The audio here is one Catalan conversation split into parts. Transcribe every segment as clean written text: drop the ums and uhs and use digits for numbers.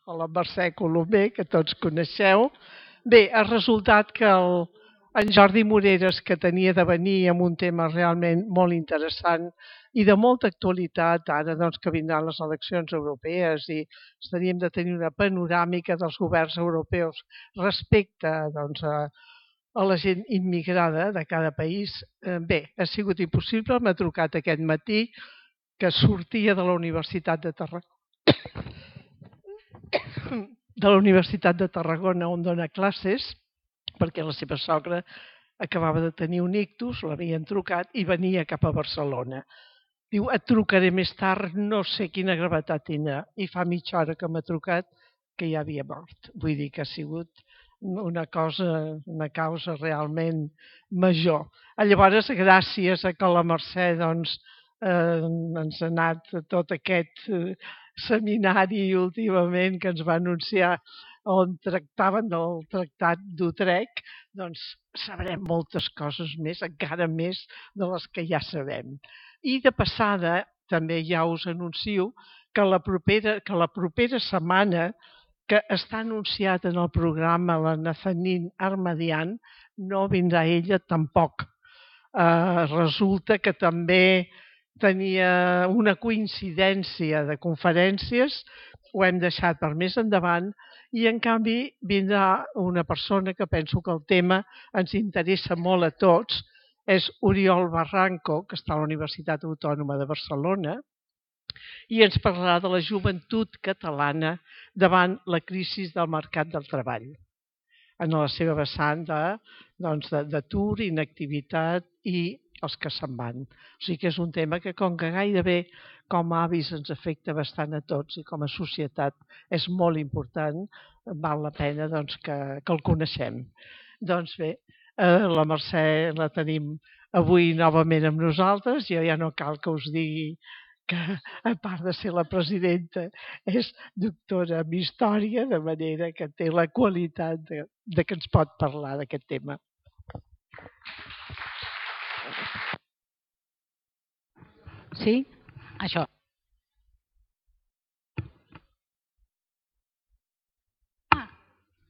la Mercè Colomer, que tots coneixeu. Bé, ha resultat que en Jordi Moreres, que tenia de venir amb un tema realment molt interessant i de molta actualitat, ara doncs, que vindran les eleccions europees i estaríem de tenir una panoràmica dels governs europeus respecte doncs, a la gent immigrada de cada país. Bé, ha sigut impossible, m'ha trucat aquest matí, que sortia de la Universitat de Tarragona, on dona classes, perquè la seva sogra acabava de tenir un ictus, l'havien trucat i venia cap a Barcelona. Diu, et trucaré més tard, no sé quina gravetat tindrà. I fa mitja hora que m'ha trucat que ja havia mort. Vull dir que ha sigut una causa realment major. Llavors, gràcies a que la Mercè doncs, ens ha anat tot aquest seminari últimament que ens va anunciar on tractaven del Tractat d'Utrecht, doncs sabrem moltes coses més, encara més de les que ja sabem. I de passada, també ja us anuncio que la propera setmana, que està anunciat en el programa la Nazanin Armadian, no vindrà ella tampoc. Resulta que també tenia una coincidència de conferències, ho hem deixat per més endavant, i en canvi vindrà una persona que penso que el tema ens interessa molt a tots, és Oriol Barranco, que està a la Universitat Autònoma de Barcelona, i ens parlarà de la joventut catalana davant la crisi del mercat del treball, en la seva vessant d'atur, inactivitat i els que se'n van. O sigui que és un tema que, com que gairebé com a avis ens afecta bastant a tots i com a societat és molt important, val la pena doncs, que el coneixem. Doncs bé, la Mercè la tenim avui novament amb nosaltres, jo ja no cal que us digui que, a part de ser la presidenta, és doctora en història, de manera que té la qualitat de que ens pot parlar d'aquest tema. Sí? Això.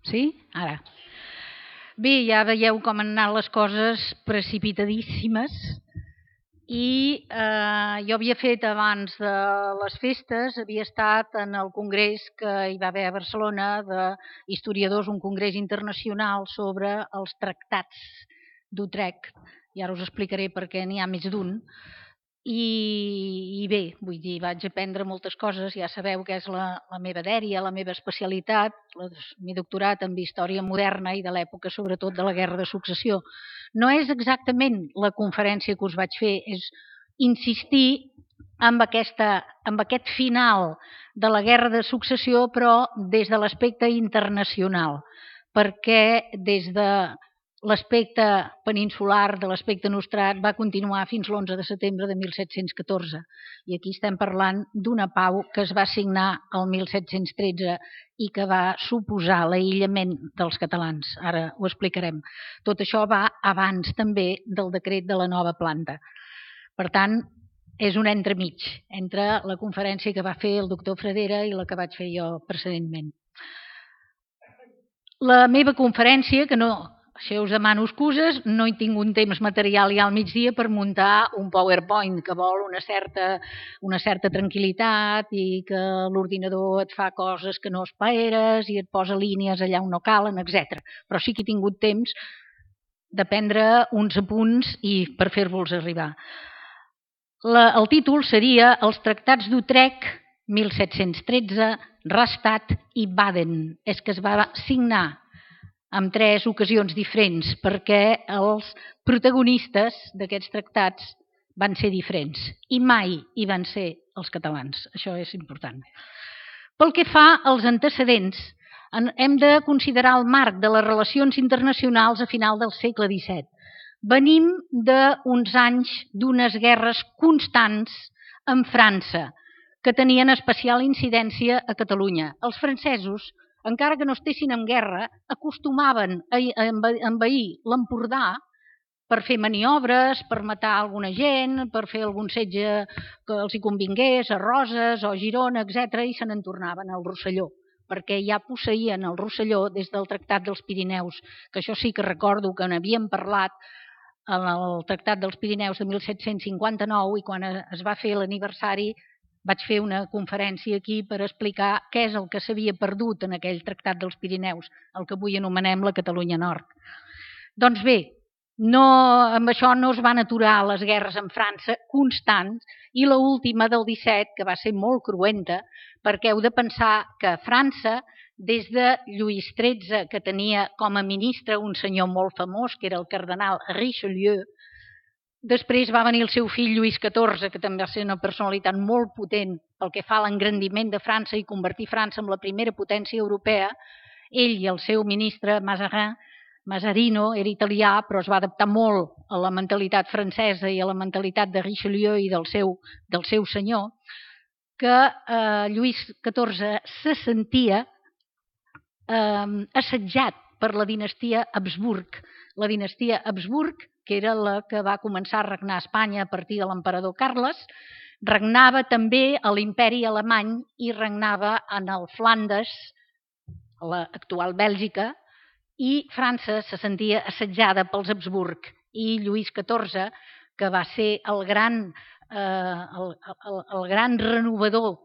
Sí? Ara. Bé, ja veieu com han anat les coses precipitadíssimes i jo havia fet abans de les festes, havia estat en el congrés que hi va haver a Barcelona d'historiadors, un congrés internacional sobre els tractats d'Utrecht, i ara us explicaré per què n'hi ha més d'un. I bé, vull dir, vaig aprendre moltes coses, ja sabeu que és la meva dèria, la meva especialitat, m'he doctorat en història moderna i de l'època sobretot de la Guerra de Successió. No és exactament la conferència que us vaig fer, és insistir en aquest final de la Guerra de Successió, però des de l'aspecte internacional, perquè des de l'aspecte peninsular, de l'aspecte nostrat, va continuar fins l'11 de setembre de 1714. I aquí estem parlant d'una pau que es va signar el 1713 i que va suposar l'aïllament dels catalans. Ara ho explicarem. Tot això va abans també del decret de la nova planta. Per tant, és un entremig entre la conferència que va fer el doctor Fradera i la que vaig fer jo precedentment. La meva conferència, que no... Això us demano excuses, no he tingut un temps material ja al migdia per muntar un PowerPoint que vol una certa tranquil·litat i que l'ordinador et fa coses que no esperes i et posa línies allà on no calen, etc. Però sí que he tingut temps de prendre uns apunts i per fer-vos arribar. El títol seria Els tractats d'Utrecht 1713, Rastatt i Baden. És que es va signar en 3 ocasions diferents, perquè els protagonistes d'aquests tractats van ser diferents i mai hi van ser els catalans. Això és important. Pel que fa als antecedents, hem de considerar el marc de les relacions internacionals a final del segle XVII. Venim d'uns anys d'unes guerres constants amb França, que tenien especial incidència a Catalunya. Els francesos, encara que no estessin en guerra, acostumaven a envair l'Empordà per fer maniobres, per matar alguna gent, per fer algun setge que els hi convingués, a Roses o a Girona, etc., i se n'en tornaven al Rosselló. perquè ja posseïen el Rosselló des del Tractat dels Pirineus, que això sí que recordo que n'havíem parlat en el Tractat dels Pirineus de 1759 i quan es va fer l'aniversari vaig fer una conferència aquí per explicar què és el que s'havia perdut en aquell Tractat dels Pirineus, el que avui anomenem la Catalunya Nord. Doncs bé, amb això no es van aturar les guerres amb França constants i l'última del 17, que va ser molt cruenta, perquè heu de pensar que França, des de Lluís XIII, que tenia com a ministre un senyor molt famós, que era el cardenal Richelieu, després va venir el seu fill Lluís XIV, que també va ser una personalitat molt potent pel que fa a l'engrandiment de França i convertir França en la primera potència europea. Ell i el seu ministre Mazarino era italià, però es va adaptar molt a la mentalitat francesa i a la mentalitat de Richelieu i del seu senyor, que Lluís XIV se sentia assetjat per la dinastia Habsburg. La dinastia Habsburg, que era la que va començar a regnar a Espanya a partir de l'emperador Carles, regnava també a l'imperi alemany i regnava en el Flandes, l'actual Bèlgica, i França se sentia assetjada pels Habsburg. I Lluís XIV, que va ser el gran renovador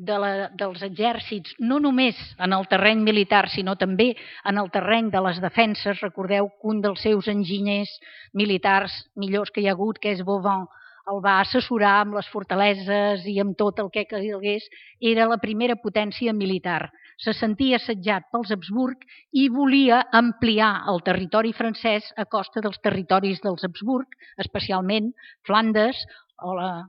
dels exèrcits, no només en el terreny militar, sinó també en el terreny de les defenses. Recordeu que un dels seus enginyers militars millors que hi ha hagut, que és Vauban, el va assessorar amb les fortaleses i amb tot el que calgués. Era la primera potència militar. Se sentia assetjat pels Habsburg i volia ampliar el territori francès a costa dels territoris dels Habsburg, especialment Flandes,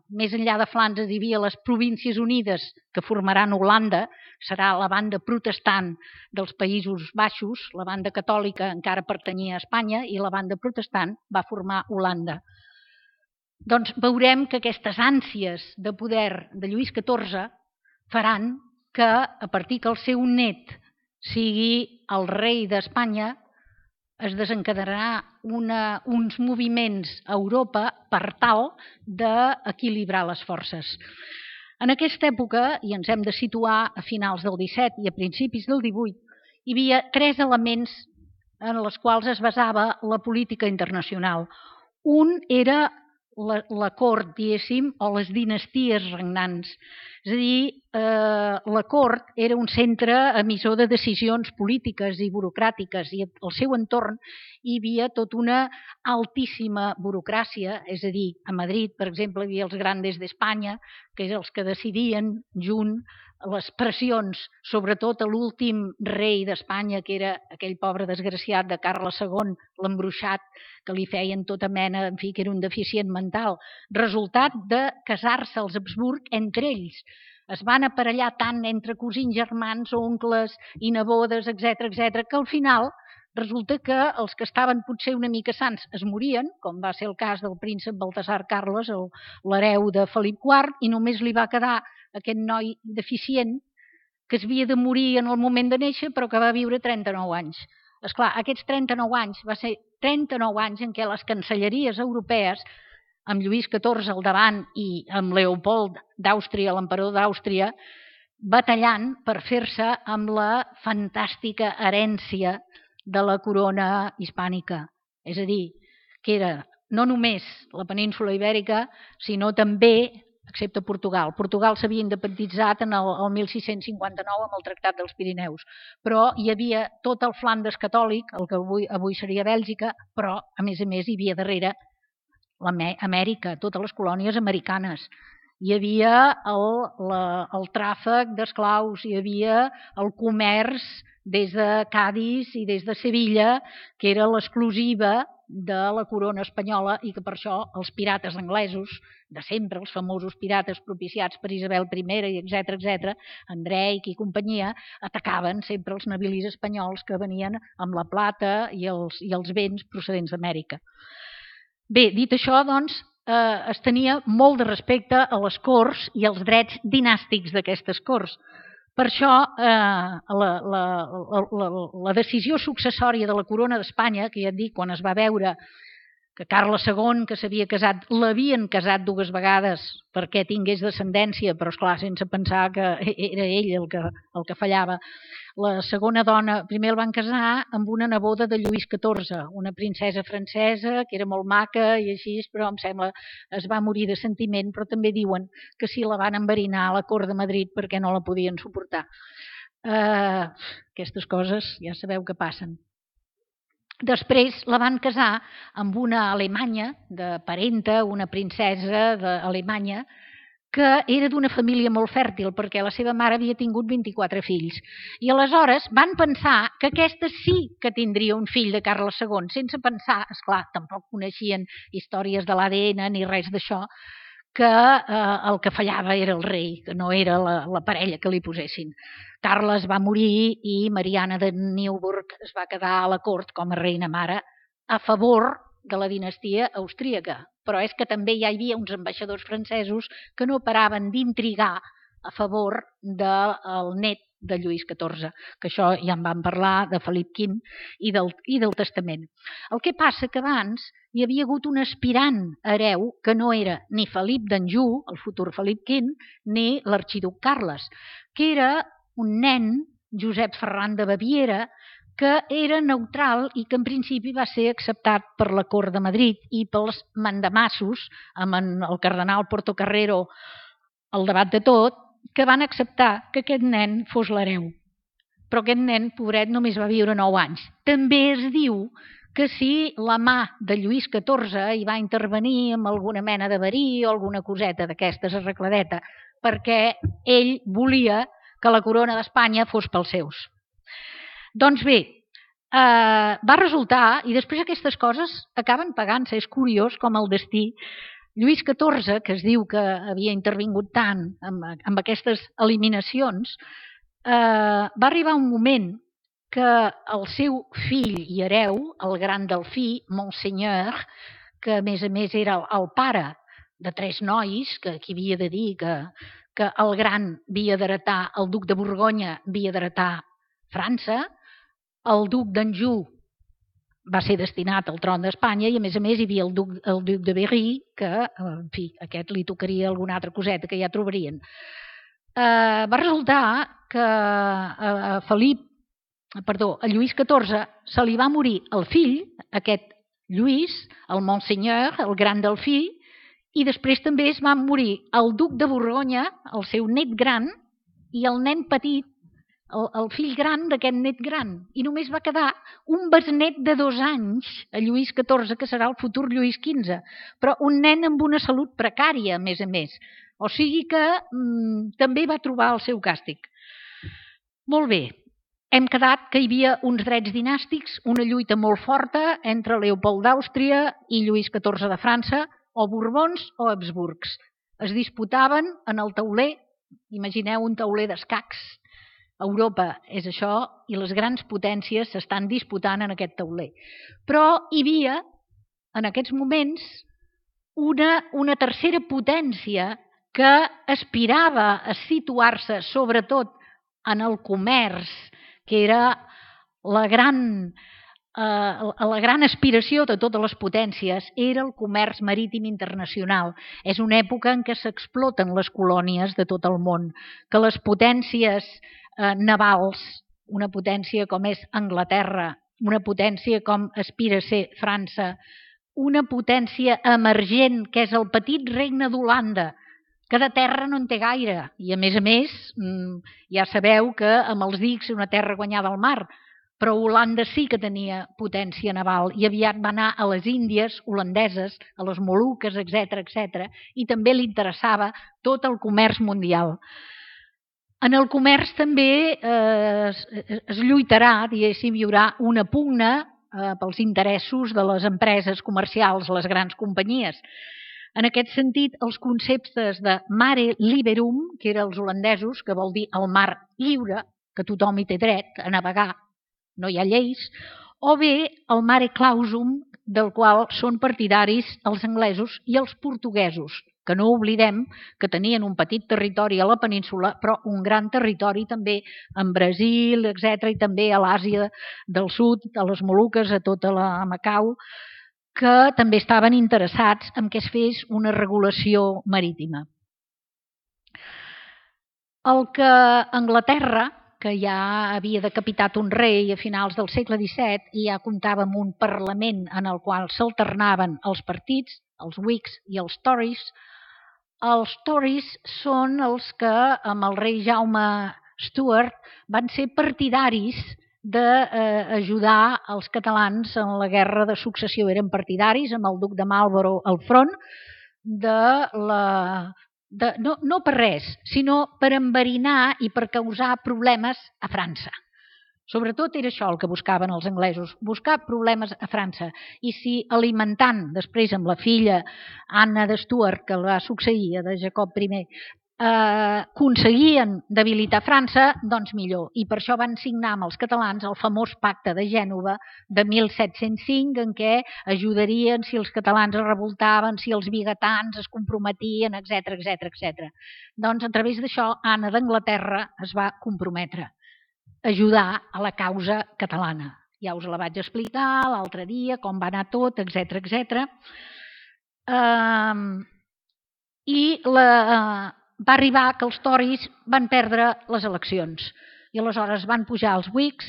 més enllà de Flandes hi havia les Províncies Unides que formaran Holanda, serà la banda protestant dels Països Baixos, la banda catòlica encara pertanyia a Espanya i la banda protestant va formar Holanda. Doncs veurem que aquestes ànsies de poder de Lluís XIV faran que a partir que el seu net sigui el rei d'Espanya es desencadenarà uns moviments a Europa per tal d'equilibrar les forces. En aquesta època, i ens hem de situar a finals del XVII i a principis del XVIII, hi havia 3 elements en els quals es basava la política internacional. Un era la cort, diguéssim, o les dinasties regnants. És a dir, la cort era un centre emissor de decisions polítiques i burocràtiques i al seu entorn hi havia tota una altíssima burocràcia, és a dir, a Madrid, per exemple, hi havia els Grandes d'Espanya, que eren els que decidien junt les pressions, sobretot a l'últim rei d'Espanya, que era aquell pobre desgraciat de Carles II, l'embruixat, que li feien tota mena, en fi, que era un deficient mental. Resultat de casar-se els Habsburg entre ells. Es van aparellar tant entre cosins germans, oncles i nebodes, etc., que al final resulta que els que estaven potser una mica sants es morien, com va ser el cas del príncep Baltasar Carles, l'hereu de Felip IV, i només li va quedar aquest noi deficient que es havia de morir en el moment de néixer però que va viure 39 anys. Esclar, aquests 39 anys va ser 39 anys en què les cancelleries europees, amb Lluís XIV al davant i amb Leopold d'Àustria, l'emperador d'Àustria, batallant per fer-se amb la fantàstica herència de la corona hispànica. És a dir, que era no només la península ibèrica, sinó també, excepte Portugal. Portugal s'havia independitzat el 1659 amb el Tractat dels Pirineus, però hi havia tot el Flandes catòlic, el que avui seria Bèlgica, però a més hi havia darrere Amèrica, totes les colònies americanes. Hi havia el tràfic d'esclaus, hi havia el comerç des de Cadis i des de Sevilla, que era l'exclusiva de la corona espanyola i que per això els pirates anglesos, de sempre, els famosos pirates propiciats per Isabel I, etc., Andrei i companyia, atacaven sempre els navilis espanyols que venien amb la plata i els béns procedents d'Amèrica. Bé, dit això, doncs, es tenia molt de respecte a les corts i als drets dinàstics d'aquestes corts. Per això, la decisió successòria de la corona d'Espanya, que ja et dic, quan es va veure que Carles II, que s'havia casat, l'havien casat 2 vegades perquè tingués descendència, però esclar, sense pensar que era ell el que fallava. La segona dona, primer el van casar amb una neboda de Lluís XIV, una princesa francesa que era molt maca i així, però em sembla es va morir de sentiment, però també diuen que sí la van enverinar a la cort de Madrid perquè no la podien suportar. Aquestes coses ja sabeu que passen. Després la van casar amb una alemanya de parenta, una princesa d'Alemanya, que era d'una família molt fèrtil, perquè la seva mare havia tingut 24 fills. I aleshores van pensar que aquesta sí que tindria un fill de Carles II, sense pensar, esclar, tampoc coneixien històries de l'ADN ni res d'això, que el que fallava era el rei, que no era la parella que li posessin. Carles va morir i Mariana de Neuburg es va quedar a la cort com a reina mare a favor de la dinastia austríaca. Però és que també hi havia uns ambaixadors francesos que no paraven d'intrigar a favor del net de Lluís XIV, que això ja en vam parlar, de Felip V i del testament. El que passa que abans hi havia hagut un aspirant hereu que no era ni Felip d'Anjou, el futur Felip V, ni l'arxiduc Carles, que era un nen, Josep Ferran de Baviera, que era neutral i que en principi va ser acceptat per la cort de Madrid i pels mandamassos, amb el cardenal Portocarrero al davant de tot, que van acceptar que aquest nen fos l'hereu. Però aquest nen, pobret, només va viure 9 anys. També es diu que si la mà de Lluís XIV hi va intervenir amb alguna mena de verí o alguna coseta d'aquestes arregladeta, perquè ell volia que la corona d'Espanya fos pels seus. Doncs bé, va resultar, i després aquestes coses acaben pagant-se, és curiós com el destí. Lluís XIV, que es diu que havia intervingut tant amb aquestes eliminacions, va arribar un moment que el seu fill i hereu, el gran Delfí, Monseigneur, que a més era el pare de 3 nois, que aquí havia de dir que el gran havia d'heretar, el duc de Borgonya havia d'heretar França, el duc d'Anjou va ser destinat al tron d'Espanya i a més hi havia el duc de Berry, que, en fi, aquest li tocaria alguna altra coseta que ja trobarien. Va resultar que a Lluís XIV se li va morir el fill, aquest Lluís, el Monseigneur, el gran Delfí, i després també es va morir el duc de Borgonya, el seu net gran, i el nen petit, el fill gran d'aquest net gran, i només va quedar un besnet de 2 anys a Lluís XIV, que serà el futur Lluís XV, però un nen amb una salut precària, a més. O sigui que també va trobar el seu càstig. Molt bé, hem quedat que hi havia uns drets dinàstics, una lluita molt forta entre Leopold d'Àustria i Lluís XIV de França, o Borbons o Habsburgs. Es disputaven en el tauler, imagineu un tauler d'escacs. Europa és això i les grans potències s'estan disputant en aquest tauler. Però hi havia, en aquests moments, una tercera potència que aspirava a situar-se sobretot en el comerç, que era la gran aspiració de totes les potències, era el comerç marítim internacional. És una època en què s'exploten les colònies de tot el món, que les potències navals, una potència com és Anglaterra, una potència com aspira a ser França, una potència emergent que és el petit regne d'Holanda, que de terra no en té gaire, i a més ja sabeu que amb els dics és una terra guanyada al mar, però Holanda sí que tenia potència naval i aviat va anar a les Índies holandeses, a les Moluques, etc., i també li interessava tot el comerç mundial. En el comerç també es lluitarà, diguéssim, hi haurà una pugna pels interessos de les empreses comercials, les grans companyies. En aquest sentit, els conceptes de mare liberum, que eren els holandesos, que vol dir el mar lliure, que tothom hi té dret a navegar, no hi ha lleis, o bé el mare clausum, del qual són partidaris els anglesos i els portuguesos, que no oblidem que tenien un petit territori a la península, però un gran territori també en Brasil, etc., i també a l'Àsia del Sud, a les Moluques, a tota la Macau. que també estaven interessats en que es fes una regulació marítima. El que Anglaterra, que ja havia decapitat un rei a finals del segle XVII i ja comptava amb un Parlament en el qual s'alternaven els partits, els Whigs i els Tories són els que, amb el rei Jaume Stuart, van ser partidaris d'ajudar els catalans en la guerra de successió. Eren partidaris, amb el duc de Marlborough al front, no per res, sinó per enverinar i per causar problemes a França. Sobretot era això el que buscaven els anglesos, buscar problemes a França. I si alimentant, després amb la filla Anna de Stuart, que el va succeir de Jacob I, aconseguien debilitar França, doncs millor. I per això van signar amb els catalans el famós Pacte de Gènova de 1705, en què ajudarien si els catalans es revoltaven, si els vigatans es comprometien, etc. Doncs a través d'això Anna d'Anglaterra es va comprometre a ajudar a la causa catalana. Ja us la vaig explicar l'altre dia, com va anar tot, etc. I va arribar que els Tories van perdre les eleccions i aleshores van pujar els Whigs,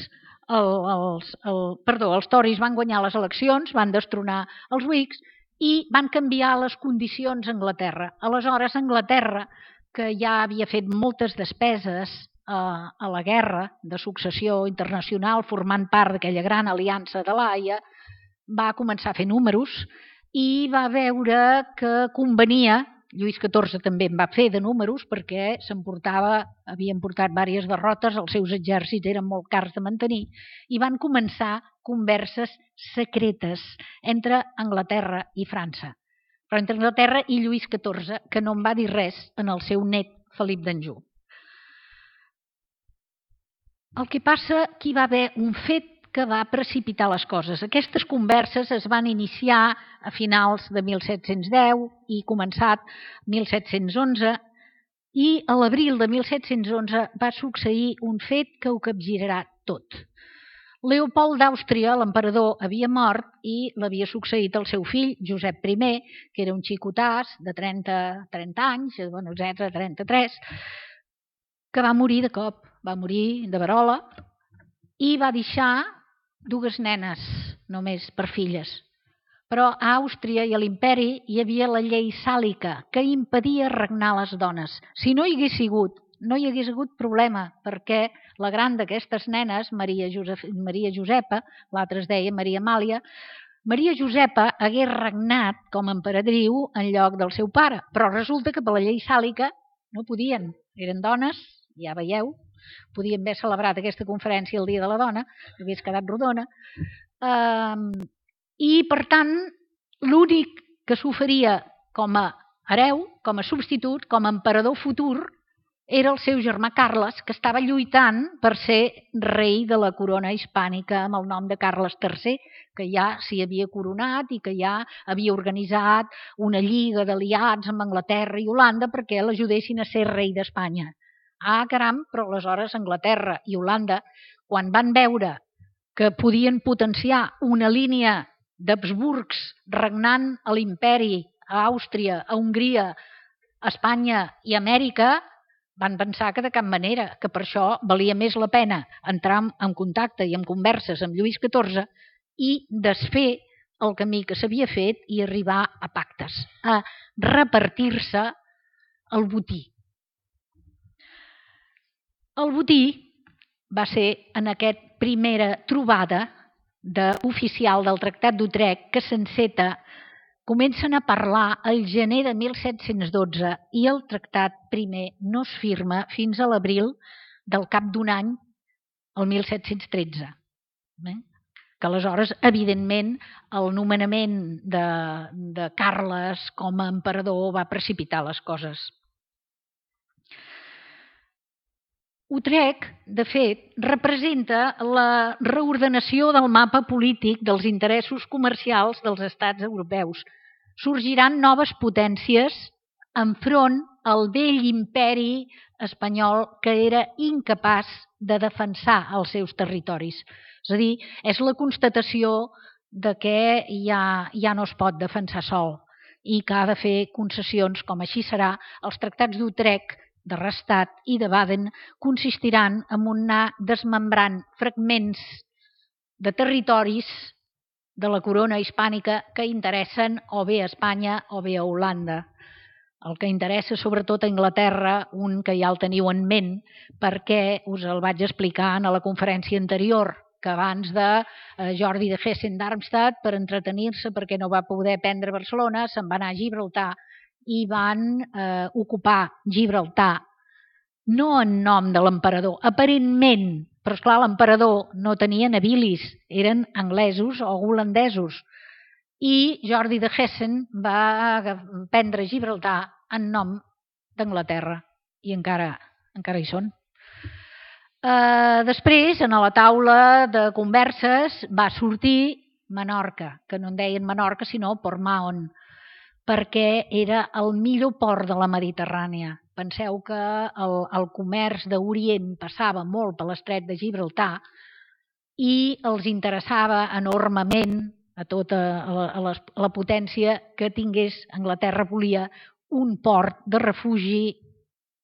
els Tories van guanyar les eleccions, van destronar els Whigs i van canviar les condicions a Anglaterra. Aleshores Anglaterra, que ja havia fet moltes despeses a la guerra de successió internacional, formant part d'aquella gran aliança de l'Haia, va començar a fer números i va veure que convenia. Lluís XIV també en va fer de números perquè havien portat diverses derrotes, els seus exèrcits eren molt cars de mantenir i van començar converses secretes entre Anglaterra i França. Però entre Anglaterra i Lluís XIV, que no en va dir res en el seu net Felip d'Anjou. El que passa que hi va haver un fet que va precipitar les coses. Aquestes converses es van iniciar a finals de 1710 i començat 1711 i a l'abril de 1711 va succeir un fet que ho capgirarà tot. Leopold d'Àustria, l'emperador, havia mort i l'havia succeït el seu fill, Josep I, que era un xicotàs de 30 anys, etc., 33, que va morir de cop, va morir de verola i va deixar 2 nenes només per filles. Però a Àustria i a l'imperi hi havia la llei sàlica que impedia regnar les dones. Si no hi hagués sigut, no hi hagués hagut problema, perquè la gran d'aquestes nenes, Maria Josepa, l'altra es deia Maria Amàlia, Maria Josepa hagués regnat com a emperadriu en lloc del seu pare, però resulta que per la llei sàlica no podien, eren dones, ja veieu, podien haver celebrat aquesta conferència el Dia de la Dona, que hagués quedat rodona, i per tant l'únic que s'oferia com a hereu, com a substitut, com a emperador futur, era el seu germà Carles, que estava lluitant per ser rei de la corona hispànica amb el nom de Carles III, que ja s'hi havia coronat i que ja havia organitzat una lliga d'aliats amb Anglaterra i Holanda perquè l'ajudessin a ser rei d'Espanya. Ah, caram, però aleshores Anglaterra i Holanda, quan van veure que podien potenciar una línia d'Habsburgs regnant a l'imperi, a Àustria, a Hongria, a Espanya i a Amèrica, van pensar que de cap manera, que per això valia més la pena entrar en contacte i en converses amb Lluís XIV i desfer el camí que s'havia fet i arribar a pactes, a repartir-se el botí. El botí va ser en aquesta primera trobada oficial del Tractat d'Utrecht que s'enceta, comencen a parlar el gener de 1712 i el tractat primer no es firma fins a l'abril del cap d'un any, el 1713. Que aleshores, evidentment, el nomenament de Carles com a emperador va precipitar les coses. Utrecht, de fet, representa la reordenació del mapa polític dels interessos comercials dels estats europeus. Sorgiran noves potències enfront al vell imperi espanyol que era incapaç de defensar els seus territoris. És a dir, és la constatació de que ja no es pot defensar sol i que ha de fer concessions, com així serà. Els tractats d'Utrecht, de Rastatt i de Baden consistiran en anar desmembrant fragments de territoris de la corona hispànica que interessen o bé a Espanya o bé a Holanda. El que interessa sobretot a Anglaterra, un que ja el teniu en ment, perquè us el vaig explicar a la conferència anterior, que abans de Jordi de Hessen-Darmstadt, per entretenir-se, perquè no va poder prendre Barcelona, se'n va anar a Gibraltar i van ocupar Gibraltar, no en nom de l'emperador, aparentment, però esclar, l'emperador no tenia nabilis, eren anglesos o holandesos, i Jordi de Hessen va prendre Gibraltar en nom d'Anglaterra, i encara hi són. Després, a la taula de converses, va sortir Menorca, que no en deien Menorca, sinó Port Mahon, perquè era el millor port de la Mediterrània. Penseu que el comerç d'Orient passava molt per l'estret de Gibraltar i els interessava enormement a tota la potència que tingués. Anglaterra volia un port de refugi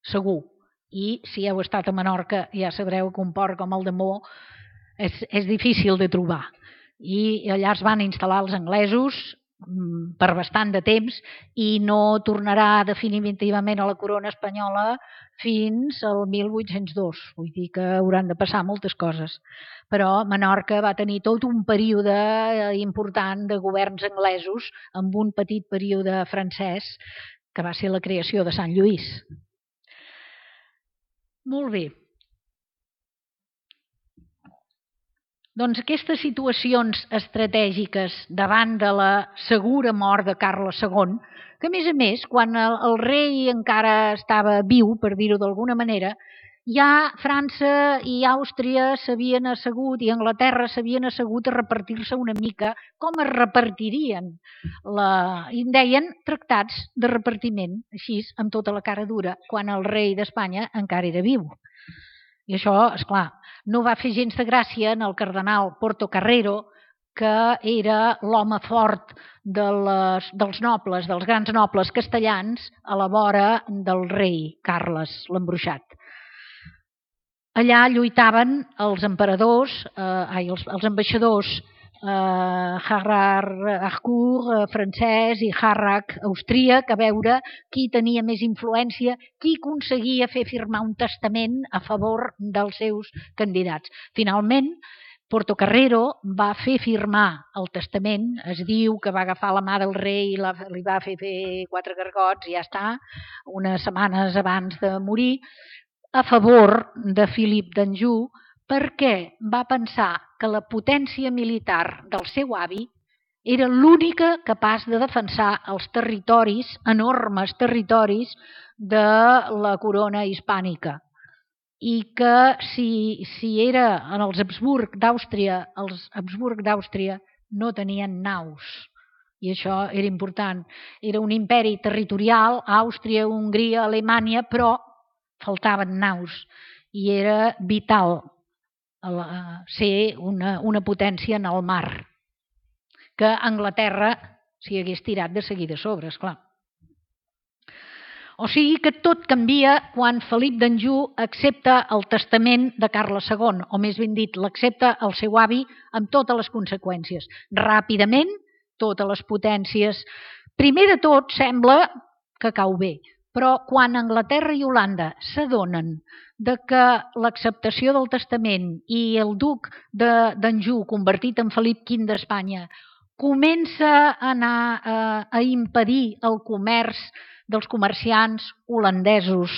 segur. I si heu estat a Menorca ja sabreu que un port com el de Mo és difícil de trobar. I allà es van instal·lar els anglesos per bastant de temps i no tornarà definitivament a la corona espanyola fins al 1802. Vull dir que hauran de passar moltes coses. Però Menorca va tenir tot un període important de governs anglesos amb un petit període francès que va ser la creació de Sant Lluís. Molt bé. Doncs aquestes situacions estratègiques davant de la segura mort de Carles II, que a més, quan el rei encara estava viu, per dir-ho d'alguna manera, ja França i Àustria s'havien assegut i Anglaterra s'havien assegut a repartir-se una mica com es repartirien. I en deien tractats de repartiment, així, amb tota la cara dura, quan el rei d'Espanya encara era viu. I això, esclar, no va fer gens de gràcia en el cardenal Portocarrero, que era l'home fort dels nobles, dels grans nobles castellans, a la vora del rei Carles l'Embruixat. Allà lluitaven els emperadors, els ambaixadors Harcourt francès i Harrach austríac, a veure qui tenia més influència, qui aconseguia fer firmar un testament a favor dels seus candidats. Finalment, Portocarrero va fer firmar el testament, es diu que va agafar la mà del rei i li va fer 4 gargots i ja està, unes setmanes abans de morir, a favor de Felip d'Anjou, perquè va pensar que la potència militar del seu avi era l'única capaç de defensar els territoris, enormes territoris, de la corona hispànica. I que si era en els Habsburg d'Àustria, no tenien naus. I això era important. Era un imperi territorial, Àustria, Hongria, Alemanya, però faltaven naus. I era vital ser una potència en el mar, que Anglaterra s'hi hagués tirat de seguida a sobre, esclar. O sigui que tot canvia quan Felip d'Anjou accepta el testament de Carles II, o més ben dit, l'accepta el seu avi amb totes les conseqüències. Ràpidament, totes les potències. Primer de tot, sembla que cau bé, però quan Anglaterra i Holanda s'adonen de que l'acceptació del testament i el duc d'Anjou, convertit en Felip V d'Espanya, comença a anar a impedir el comerç dels comerciants holandesos,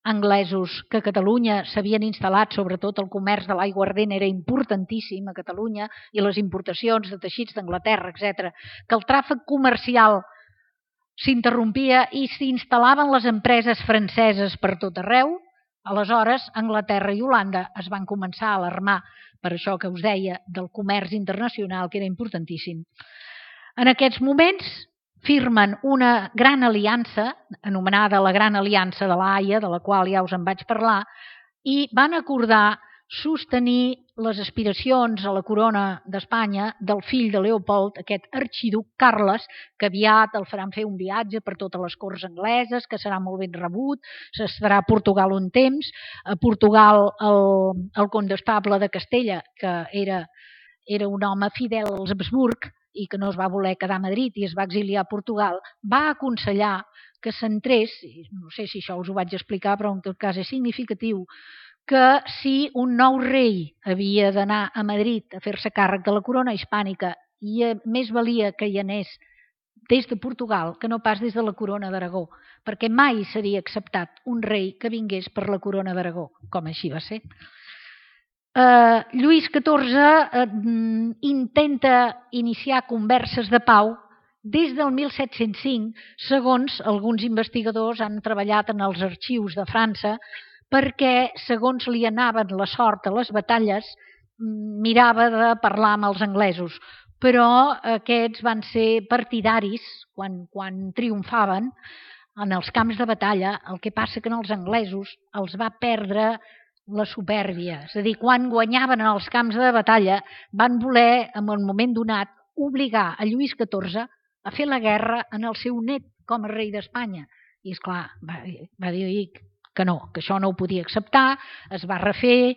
anglesos, que a Catalunya s'havien instal·lat, sobretot el comerç de l'aiguardent era importantíssim a Catalunya, i les importacions de teixits d'Anglaterra, etc., que el tràfic comercial s'interrompia i s'instal·laven les empreses franceses per tot arreu. Aleshores, Anglaterra i Holanda es van començar a alarmar per això que us deia del comerç internacional, que era importantíssim. En aquests moments firmen una gran aliança, anomenada la Gran Aliança de l'Haia, de la qual ja us en vaig parlar, i van acordar sostenir les aspiracions a la corona d'Espanya del fill de Leopold, aquest arxiduc Carles, que aviat el faran fer un viatge per totes les corts angleses, que serà molt ben rebut, s'estarà a Portugal un temps. A Portugal el condestable de Castella, que era un home fidel als Habsburg i que no es va voler quedar a Madrid i es va exiliar a Portugal, va aconsellar que s'entrés, no sé si això us ho vaig explicar, però en tot cas és significatiu, que si un nou rei havia d'anar a Madrid a fer-se càrrec de la corona hispànica i més valia que hi anés des de Portugal que no pas des de la corona d'Aragó, perquè mai seria acceptat un rei que vingués per la corona d'Aragó, com així va ser. Lluís XIV intenta iniciar converses de pau des del 1705, segons alguns investigadors han treballat en els arxius de França, perquè, segons li anaven la sort a les batalles, mirava de parlar amb els anglesos. Però aquests van ser partidaris, quan triomfaven en els camps de batalla, el que passa que els anglesos els va perdre la supèrbia. És a dir, quan guanyaven en els camps de batalla, van voler, en un moment donat, obligar a Lluís XIV a fer la guerra en el seu net com a rei d'Espanya. I, esclar, va dir que no, que això no ho podia acceptar, es va refer,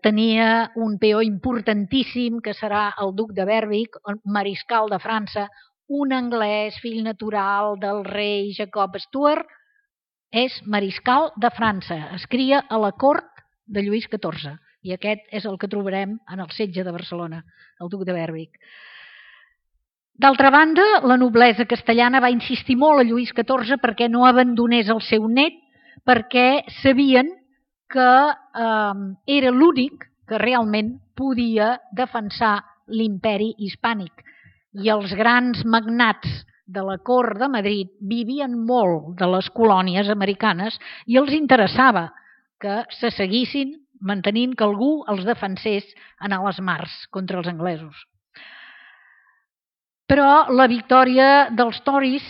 tenia un peó importantíssim que serà el duc de Berwick, mariscal de França, un anglès, fill natural del rei Jacob Stuart, és mariscal de França, es cria a la cort de Lluís XIV i aquest és el que trobarem en el setge de Barcelona, el duc de Berwick. D'altra banda, la noblesa castellana va insistir molt a Lluís XIV perquè no abandonés el seu net, perquè sabien que era l'únic que realment podia defensar l'imperi hispànic. I els grans magnats de la cort de Madrid vivien molt de les colònies americanes i els interessava que se seguissin mantenint que algú els defensés en les mars contra els anglesos. Però la victòria dels Tories,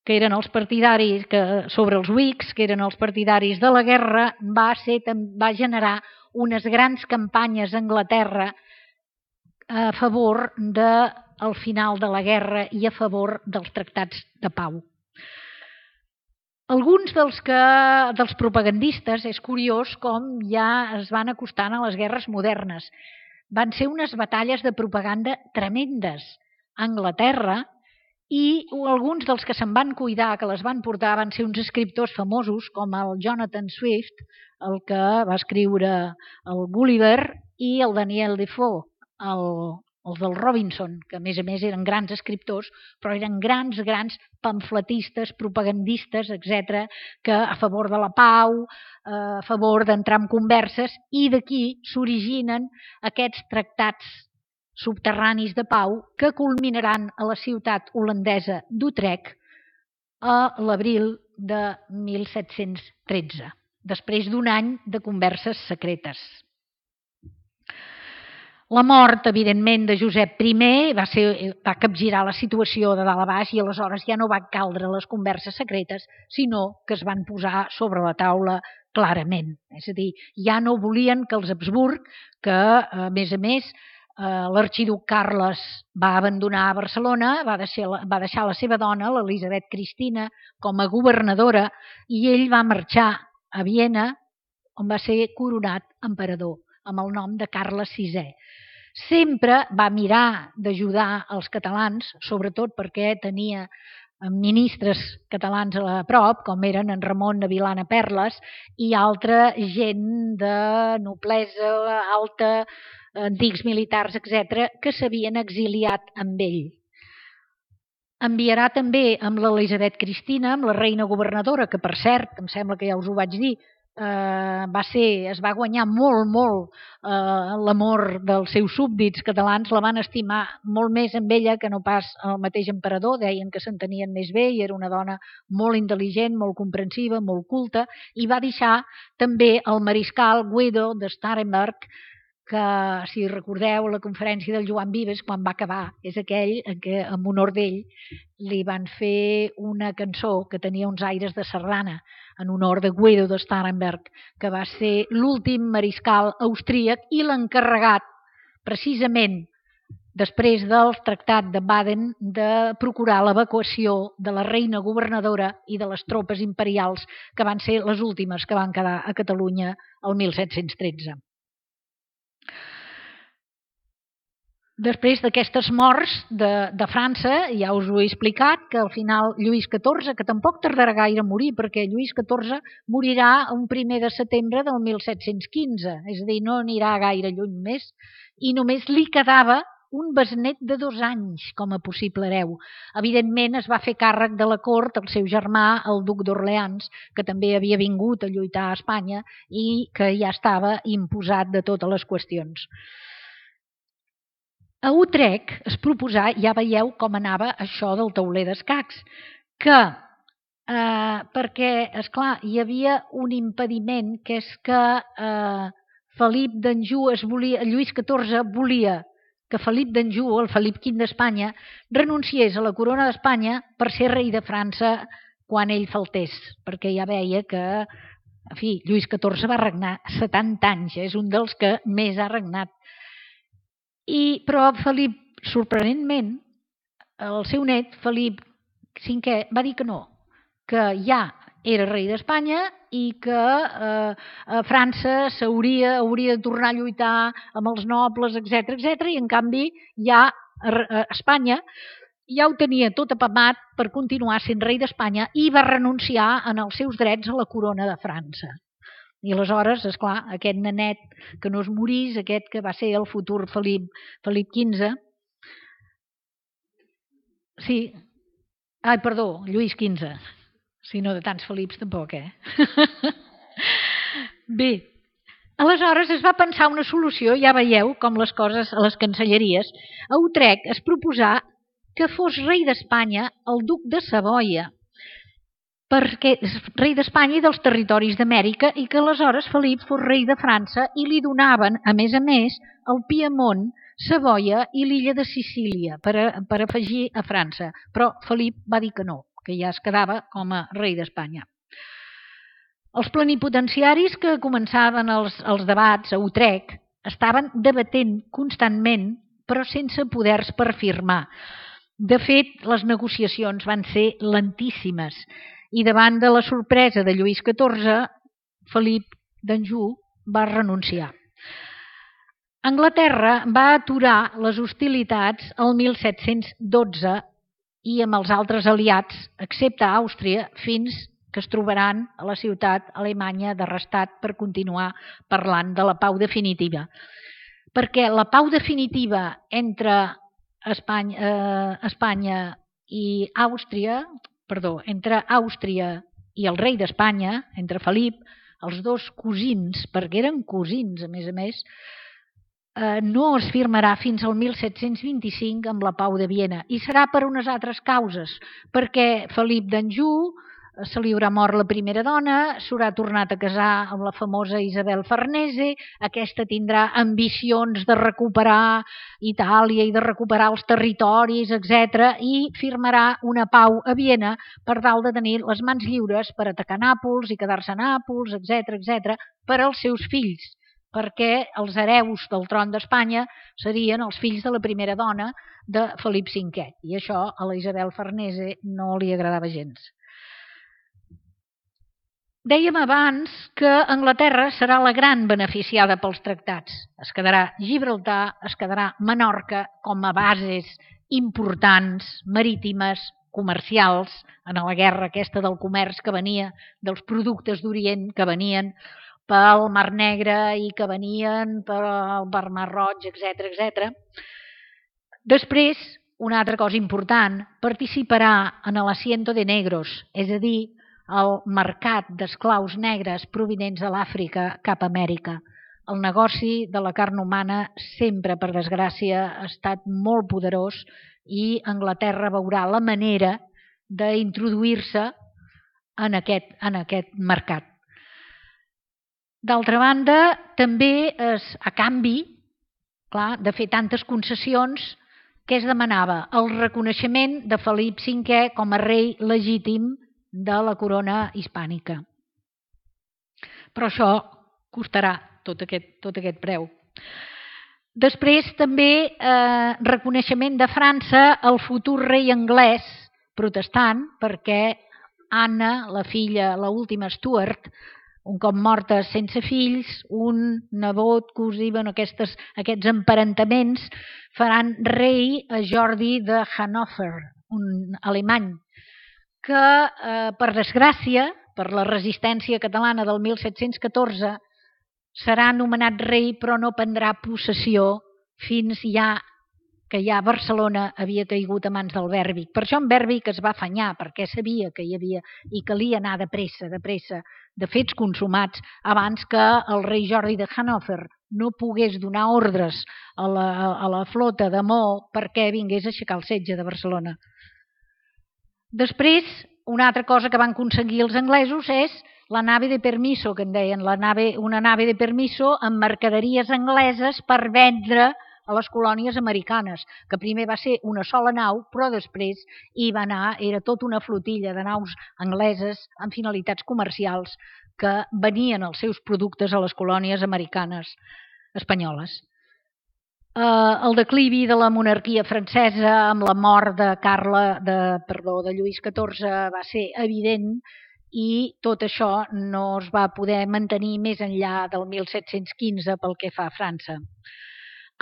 que eren els partidaris sobre els Whigs, que eren els partidaris de la guerra, va generar unes grans campanyes a Anglaterra a favor del final de la guerra i a favor dels tractats de pau. Alguns dels propagandistes, és curiós com ja es van acostant a les guerres modernes. Van ser unes batalles de propaganda tremendes a Anglaterra i alguns dels que se'n van cuidar, que les van portar, van ser uns escriptors famosos com el Jonathan Swift, el que va escriure el Gulliver, i el Daniel Defoe, els del Robinson, que a més eren grans escriptors, però eren grans pamfletistes, propagandistes, etc., que a favor de la pau, a favor d'entrar en converses, i d'aquí s'originen aquests tractats subterranis de pau que culminaran a la ciutat holandesa d'Utrecht a l'abril de 1713, després d'un any de converses secretes. La mort, evidentment, de Josep I va capgirar la situació de dalt a baix i aleshores ja no va caldre les converses secretes, sinó que es van posar sobre la taula clarament. És a dir, ja no volien que els Habsburg, que a més, l'arxiduc Carles va abandonar Barcelona, va deixar la seva dona, l'Elisabet Cristina, com a governadora i ell va marxar a Viena, on va ser coronat emperador, amb el nom de Carles VI. Sempre va mirar d'ajudar els catalans, sobretot perquè tenia ministres catalans a prop, com eren en Ramon de Vilana Perles i altra gent de noblesa alta, antics militars, etc., que s'havien exiliat amb ell. Enviarà també amb l'Elisabet Cristina, amb la reina governadora, que per cert, em sembla que ja us ho vaig dir, es va guanyar molt l'amor dels seus súbdits catalans, la van estimar molt més amb ella que no pas el mateix emperador, deien que s'entenien més bé i era una dona molt intel·ligent, molt comprensiva, molt culta, i va deixar també el mariscal Guido de Starhemberg, que, si recordeu, la conferència del Joan Vives, quan va acabar, és aquell en què, en honor d'ell, li van fer una cançó que tenia uns aires de sardana, en honor de Guido de Starhemberg, que va ser l'últim mariscal austríac i l'encarregat, precisament després del tractat de Baden, de procurar l'evacuació de la reina governadora i de les tropes imperials, que van ser les últimes que van quedar a Catalunya el 1713. Després d'aquestes morts de França, ja us ho he explicat, que al final Lluís XIV, que tampoc tardarà gaire a morir, perquè Lluís XIV morirà un 1 de setembre del 1715, és a dir, no anirà gaire lluny més, i només li quedava un besnet de 2 anys com a possible hereu. Evidentment es va fer càrrec de la cort el seu germà, el duc d'Orleans, que també havia vingut a lluitar a Espanya i que ja estava imposat de totes les qüestions. A Utrecht es proposà, ja veieu com anava això del tauler d'escacs, que perquè, esclar, hi havia un impediment, que és que Felip d'Anjou Lluís XIV volia que Felip d'Anjou, el Felip V d'Espanya, renunciés a la corona d'Espanya per ser rei de França quan ell faltés, perquè ja veia que, en fi, Lluís XIV va regnar 70 anys, és un dels que més ha regnat. Però Felip, sorprenentment, el seu net, Felip V, va dir que no, que ja era rei d'Espanya i que França hauria de tornar a lluitar amb els nobles, etc, i en canvi ja Espanya ja ho tenia tot apamat per continuar sent rei d'Espanya i va renunciar en els seus drets a la corona de França. I aleshores, esclar, aquest nenet que no es morís, aquest que va ser el futur Felip XV, sí, perdó, Lluís XV, si no de tants Felips tampoc, Bé, aleshores es va pensar una solució, ja veieu com les coses a les cancelleries. A Utrecht es proposà que fos rei d'Espanya el duc de Savoia, perquè és rei d'Espanya i dels territoris d'Amèrica, i que aleshores Felip fos rei de França i li donaven, a més, el Piemont, Savoia i l'illa de Sicília per afegir a França. Però Felip va dir que no, que ja es quedava com a rei d'Espanya. Els plenipotenciaris que començaven els debats a Utrecht estaven debatent constantment, però sense poders per firmar. De fet, les negociacions van ser lentíssimes i davant de la sorpresa de Lluís XIV, Felip d'Anjou va renunciar. Anglaterra va aturar les hostilitats el 1712 i amb els altres aliats, excepte Àustria, fins que es trobaran a la ciutat alemanya de Rastatt per continuar parlant de la pau definitiva. Perquè la pau definitiva entre Espanya i Àustria, entre Àustria i el rei d'Espanya, entre Felip, els dos cosins, perquè eren cosins a més, no es firmarà fins al 1725 amb la Pau de Viena, i serà per unes altres causes, perquè Felip d'Anjou se li haurà mort la primera dona, s'haurà tornat a casar amb la famosa Isabel Farnese, aquesta tindrà ambicions de recuperar Itàlia i de recuperar els territoris, etc., i firmarà una pau a Viena per tal de tenir les mans lliures per atacar Nàpols i quedar-se a Nàpols, etc., per als seus fills, perquè els hereus del tron d'Espanya serien els fills de la primera dona de Felip V, i això a la Isabel Farnese no li agradava gens. Dèiem abans que Anglaterra serà la gran beneficiada pels tractats. Es quedarà Gibraltar, es quedarà Menorca com a bases importants, marítimes, comercials, en la guerra aquesta del comerç que venia, dels productes d'Orient que venien pel Mar Negre i que venien pel Mar Roig, etc. Després, una altra cosa important, participarà en l'asiento de negros, és a dir, el mercat d'esclaus negres provinents de l'Àfrica cap a Amèrica. El negoci de la carn humana sempre, per desgràcia, ha estat molt poderós i Anglaterra veurà la manera d'introduir-se en aquest mercat. D'altra banda, també a canvi clar, de fer tantes concessions, què es demanava? El reconeixement de Felip V com a rei legítim de la corona hispànica. Però això costarà tot aquest preu. Després també reconeixement de França al futur rei anglès protestant, perquè Anna, la filla, l'última Stuart, un cop morta sense fills, un nebot, cosí, aquests emparentaments faran rei a Jordi de Hannover, un alemany, que per desgràcia, per la resistència catalana del 1714, serà nomenat rei però no prendrà possessió fins que ja Barcelona havia caigut a mans del Bèrbic. Per això en Bèrbic es va afanyar, perquè sabia que hi havia i calia anar de pressa, de fets consumats, abans que el rei Jordi de Hannover no pogués donar ordres a la flota de Maó perquè vingués a aixecar el setge de Barcelona. Després, una altra cosa que van aconseguir els anglesos és la nave de permiso, que en deien, una nave de permiso amb mercaderies angleses per vendre a les colònies americanes, que primer va ser una sola nau, però després hi va anar, era tota una flotilla de naus angleses amb finalitats comercials que venien els seus productes a les colònies americanes espanyoles. El declivi de la monarquia francesa amb la mort de Lluís XIV va ser evident i tot això no es va poder mantenir més enllà del 1715 pel que fa a França.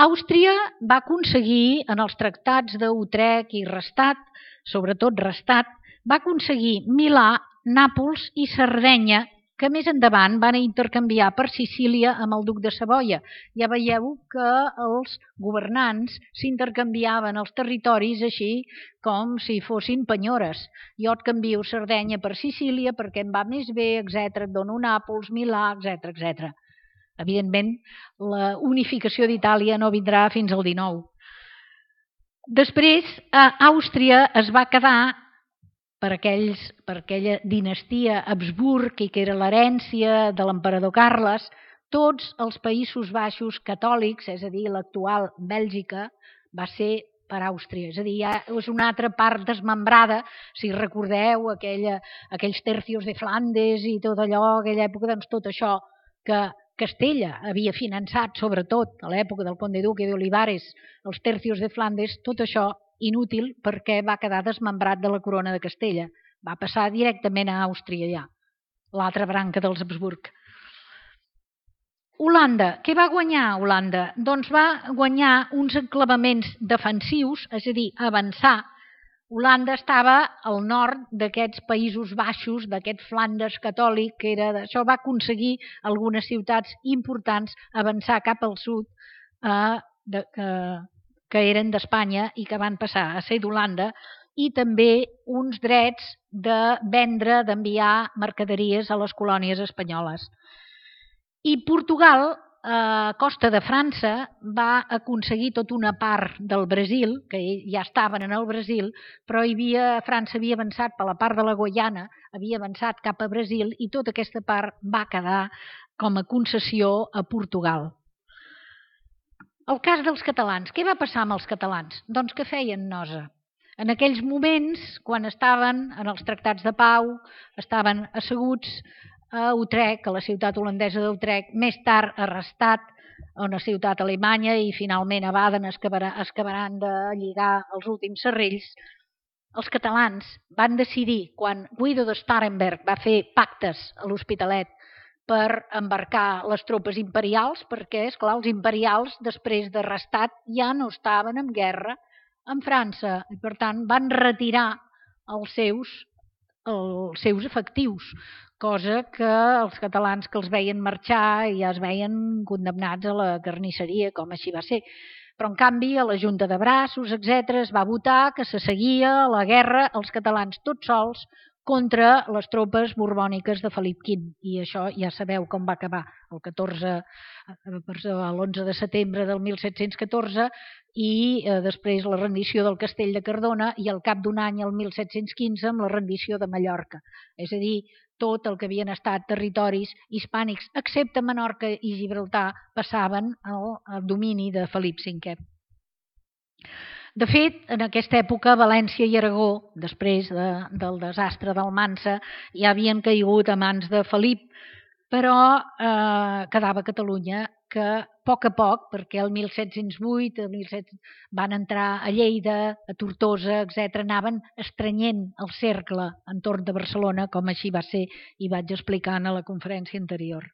Àustria va aconseguir, en els tractats d'Utrecht i Rastatt, sobretot Rastatt, va aconseguir Milà, Nàpols i Sardenya, que més endavant van intercanviar per Sicília amb el duc de Savoia. Ja veieu que els governants s'intercanviaven els territoris així com si fossin penyores. Jo et canvio Sardenya per Sicília perquè em va més bé, etc. Et dono Nàpols, Milà, etc. Evidentment, la unificació d'Itàlia no vindrà fins al XIX. Després, Àustria es va quedar per aquella dinastia Habsburg i que era l'herència de l'emperador Carles, tots els Països Baixos catòlics, és a dir, l'actual Bèlgica, va ser per Àustria. És a dir, és una altra part desmembrada, si recordeu aquells tercios de Flandes i tot allò, aquella època, doncs tot això que Castella havia finançat, sobretot a l'època del Conde Duque d'Olivares, els tercios de Flandes, tot això inútil perquè va quedar desmembrat de la corona de Castella. Va passar directament a Àustria ja, l'altra branca dels Habsburg. Holanda. Què va guanyar Holanda? Doncs va guanyar uns enclavaments defensius, és a dir, avançar. Holanda estava al nord d'aquests Països Baixos, d'aquest Flandes catòlic, això va aconseguir algunes ciutats importants avançar cap al sud, que eren d'Espanya i que van passar a ser d'Holanda, i també uns drets de vendre, d'enviar mercaderies a les colònies espanyoles. I Portugal, a costa de França, va aconseguir tota una part del Brasil, que ja estaven en el Brasil, però França havia avançat per la part de la Guaiana, havia avançat cap a Brasil i tota aquesta part va quedar com a concessió a Portugal. El cas dels catalans. Què va passar amb els catalans? Doncs que feien nosa. En aquells moments, quan estaven en els tractats de pau, estaven asseguts a Utrecht, a la ciutat holandesa d'Utrecht, més tard a Rastatt, a una ciutat alemanya, i finalment a Baden acabaran de lligar els últims serrells. Els catalans van decidir, quan Guido de Starhemberg va fer pactes a l'Hospitalet per embarcar les tropes imperials, perquè, esclar, els imperials, després de Rastatt, ja no estaven en guerra amb França, i per tant van retirar els seus efectius, cosa que els catalans que els veien marxar ja es veien condemnats a la carnisseria, com així va ser. Però, en canvi, a la Junta de Braços, etc., es va votar que se seguia la guerra els catalans tots sols contra les tropes borbòniques de Felip V. I això ja sabeu com va acabar l'11 de setembre del 1714 i després la rendició del Castell de Cardona i al cap d'un any, el 1715, amb la rendició de Mallorca. És a dir, tot el que havien estat territoris hispànics, excepte Menorca i Gibraltar, passaven al domini de Felip V. De fet, en aquesta època, València i Aragó, després del desastre d'Almansa, ja havien caigut a mans de Felip, però quedava Catalunya, que a poc, perquè el 1708 van entrar a Lleida, a Tortosa, etc., anaven estrenyent el cercle entorn de Barcelona, com així va ser i vaig explicant a la conferència anterior.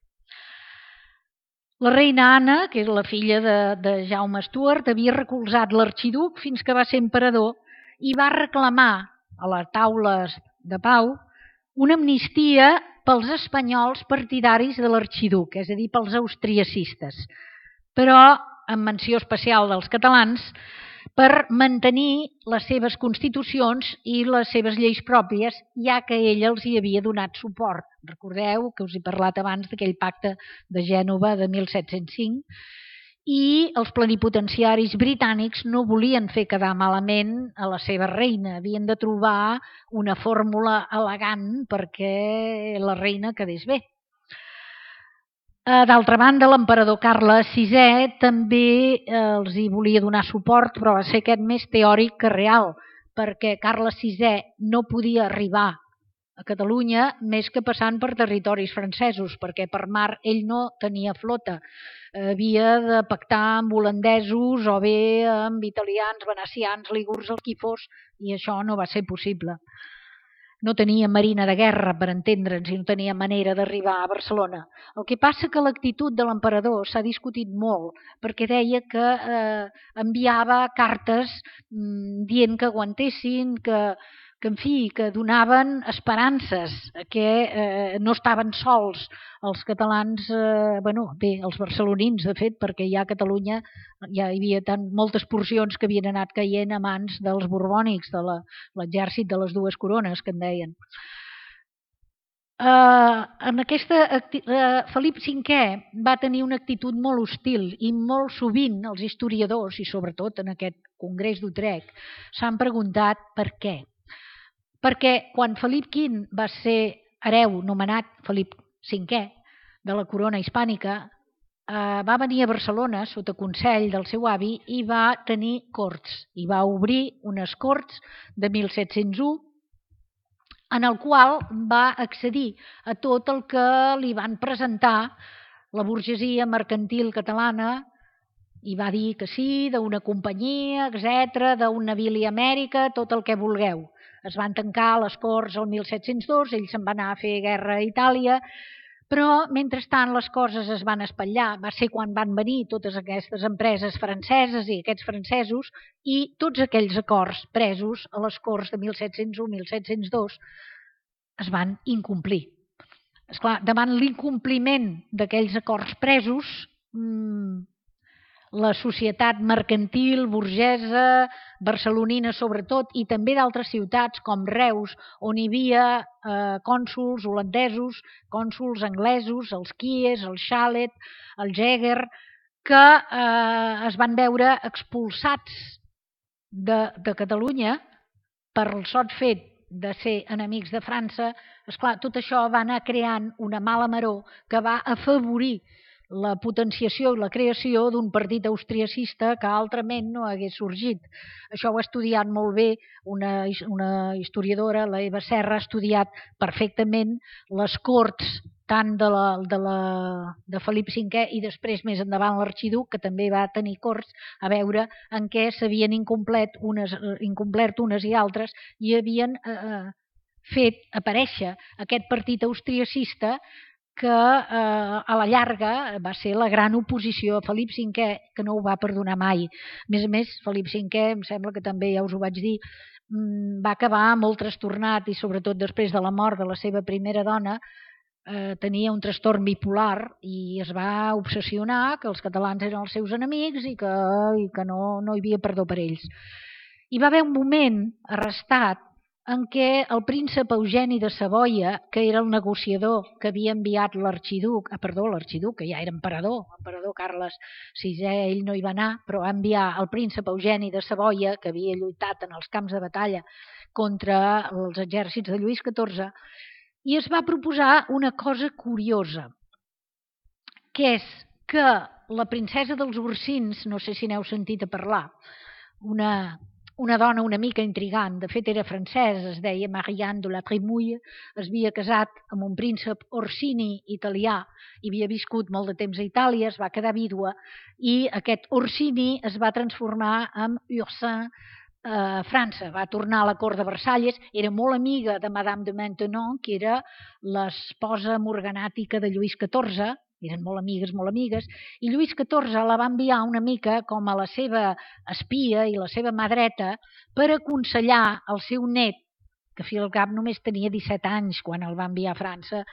La reina Anna, que és la filla de Jaume Stuart, havia recolzat l'arxiduc fins que va ser emperador i va reclamar a les taules de pau una amnistia pels espanyols partidaris de l'arxiduc, és a dir, pels austriacistes, però amb menció especial dels catalans, per mantenir les seves constitucions i les seves lleis pròpies, ja que ell els hi havia donat suport. Recordeu que us he parlat abans d'aquell pacte de Gènova de 1705, i els plenipotenciaris britànics no volien fer quedar malament a la seva reina, havien de trobar una fórmula elegant perquè la reina quedés bé. D'altra banda, l'emperador Carles VI també els hi volia donar suport, però va ser aquest més teòric que real, perquè Carles VI no podia arribar a Catalunya més que passant per territoris francesos, perquè per mar ell no tenia flota. Havia de pactar amb holandesos o bé amb italians, venecians, lígurs, el qui fos, i això no va ser possible. No tenia marina de guerra, per entendre'ns, i no tenia manera d'arribar a Barcelona. El que passa que l'actitud de l'emperador s'ha discutit molt, perquè deia que enviava cartes dient que aguantessin, que donaven esperances, que no estaven sols els catalans, els barcelonins, de fet, perquè ja a Catalunya ja hi havia moltes porcions que havien anat caient a mans dels borbònics, de l'exèrcit de les dues corones, que en deien. Felip V va tenir una actitud molt hostil i molt sovint els historiadors, i sobretot en aquest congrés d'Utrecht, s'han preguntat per què. Perquè quan Felip V va ser hereu, nomenat Felip V, de la corona hispànica, va venir a Barcelona sota consell del seu avi i va tenir corts, i va obrir unes corts de 1701 en el qual va accedir a tot el que li van presentar la burgesia mercantil catalana i va dir que sí, d'una companyia, etc., d'un navili Amèrica, tot el que vulgueu. Es van tancar les corts el 1702, ell se'n va anar a fer guerra a Itàlia, però mentrestant les coses es van espatllar. Va ser quan van venir totes aquestes empreses franceses i aquests francesos i tots aquells acords presos a les corts de 1701-1702 es van incomplir. Esclar, davant l'incompliment d'aquells acords presos, la societat mercantil, burgesa, barcelonina sobretot, i també d'altres ciutats com Reus, on hi havia cònsols holandesos, cònsols anglesos, els Quies, el Xalet, el Jäger, que es van veure expulsats de Catalunya per el sot fet de ser enemics de França. Esclar, tot això va anar creant una mala maror que va afavorir la potenciació i la creació d'un partit austriacista que altrament no hagués sorgit. Això ho ha estudiat molt bé una historiadora, la Eva Serra, ha estudiat perfectament les corts tant de Felip V i després més endavant l'arxiduc, que també va tenir corts, a veure en què s'havien incomplert unes i altres i havien fet aparèixer aquest partit austriacista que a la llarga va ser la gran oposició a Felip V, que no ho va perdonar mai. A més, Felip V, em sembla que també ja us ho vaig dir, va acabar molt trastornat i sobretot després de la mort de la seva primera dona tenia un trastorn bipolar i es va obsessionar que els catalans eren els seus enemics i que no hi havia perdó per ells. Hi va haver un moment arrestat en què el príncep Eugeni de Savoia, que era el negociador que havia enviat l'arxiduc, que ja era emperador Carles VI, ell no hi va anar, però va enviar el príncep Eugeni de Savoia, que havia lluitat en els camps de batalla contra els exèrcits de Lluís XIV, i es va proposar una cosa curiosa, que és que la princesa dels Ursins, no sé si n'heu sentit a parlar, una dona una mica intrigant, de fet era francesa, es deia Marianne de la Trémouille, es havia casat amb un príncep Orsini italià i havia viscut molt de temps a Itàlia, es va quedar vídua i aquest Orsini es va transformar en Ursin a França, va tornar a la cort de Versalles, era molt amiga de Madame de Maintenon, que era l'esposa morganàtica de Lluís XIV, eren molt amigues, i Lluís XIV la va enviar una mica com a la seva espia i la seva mà dreta per aconsellar el seu net, que a fi al cap només tenia 17 anys quan el va enviar a França,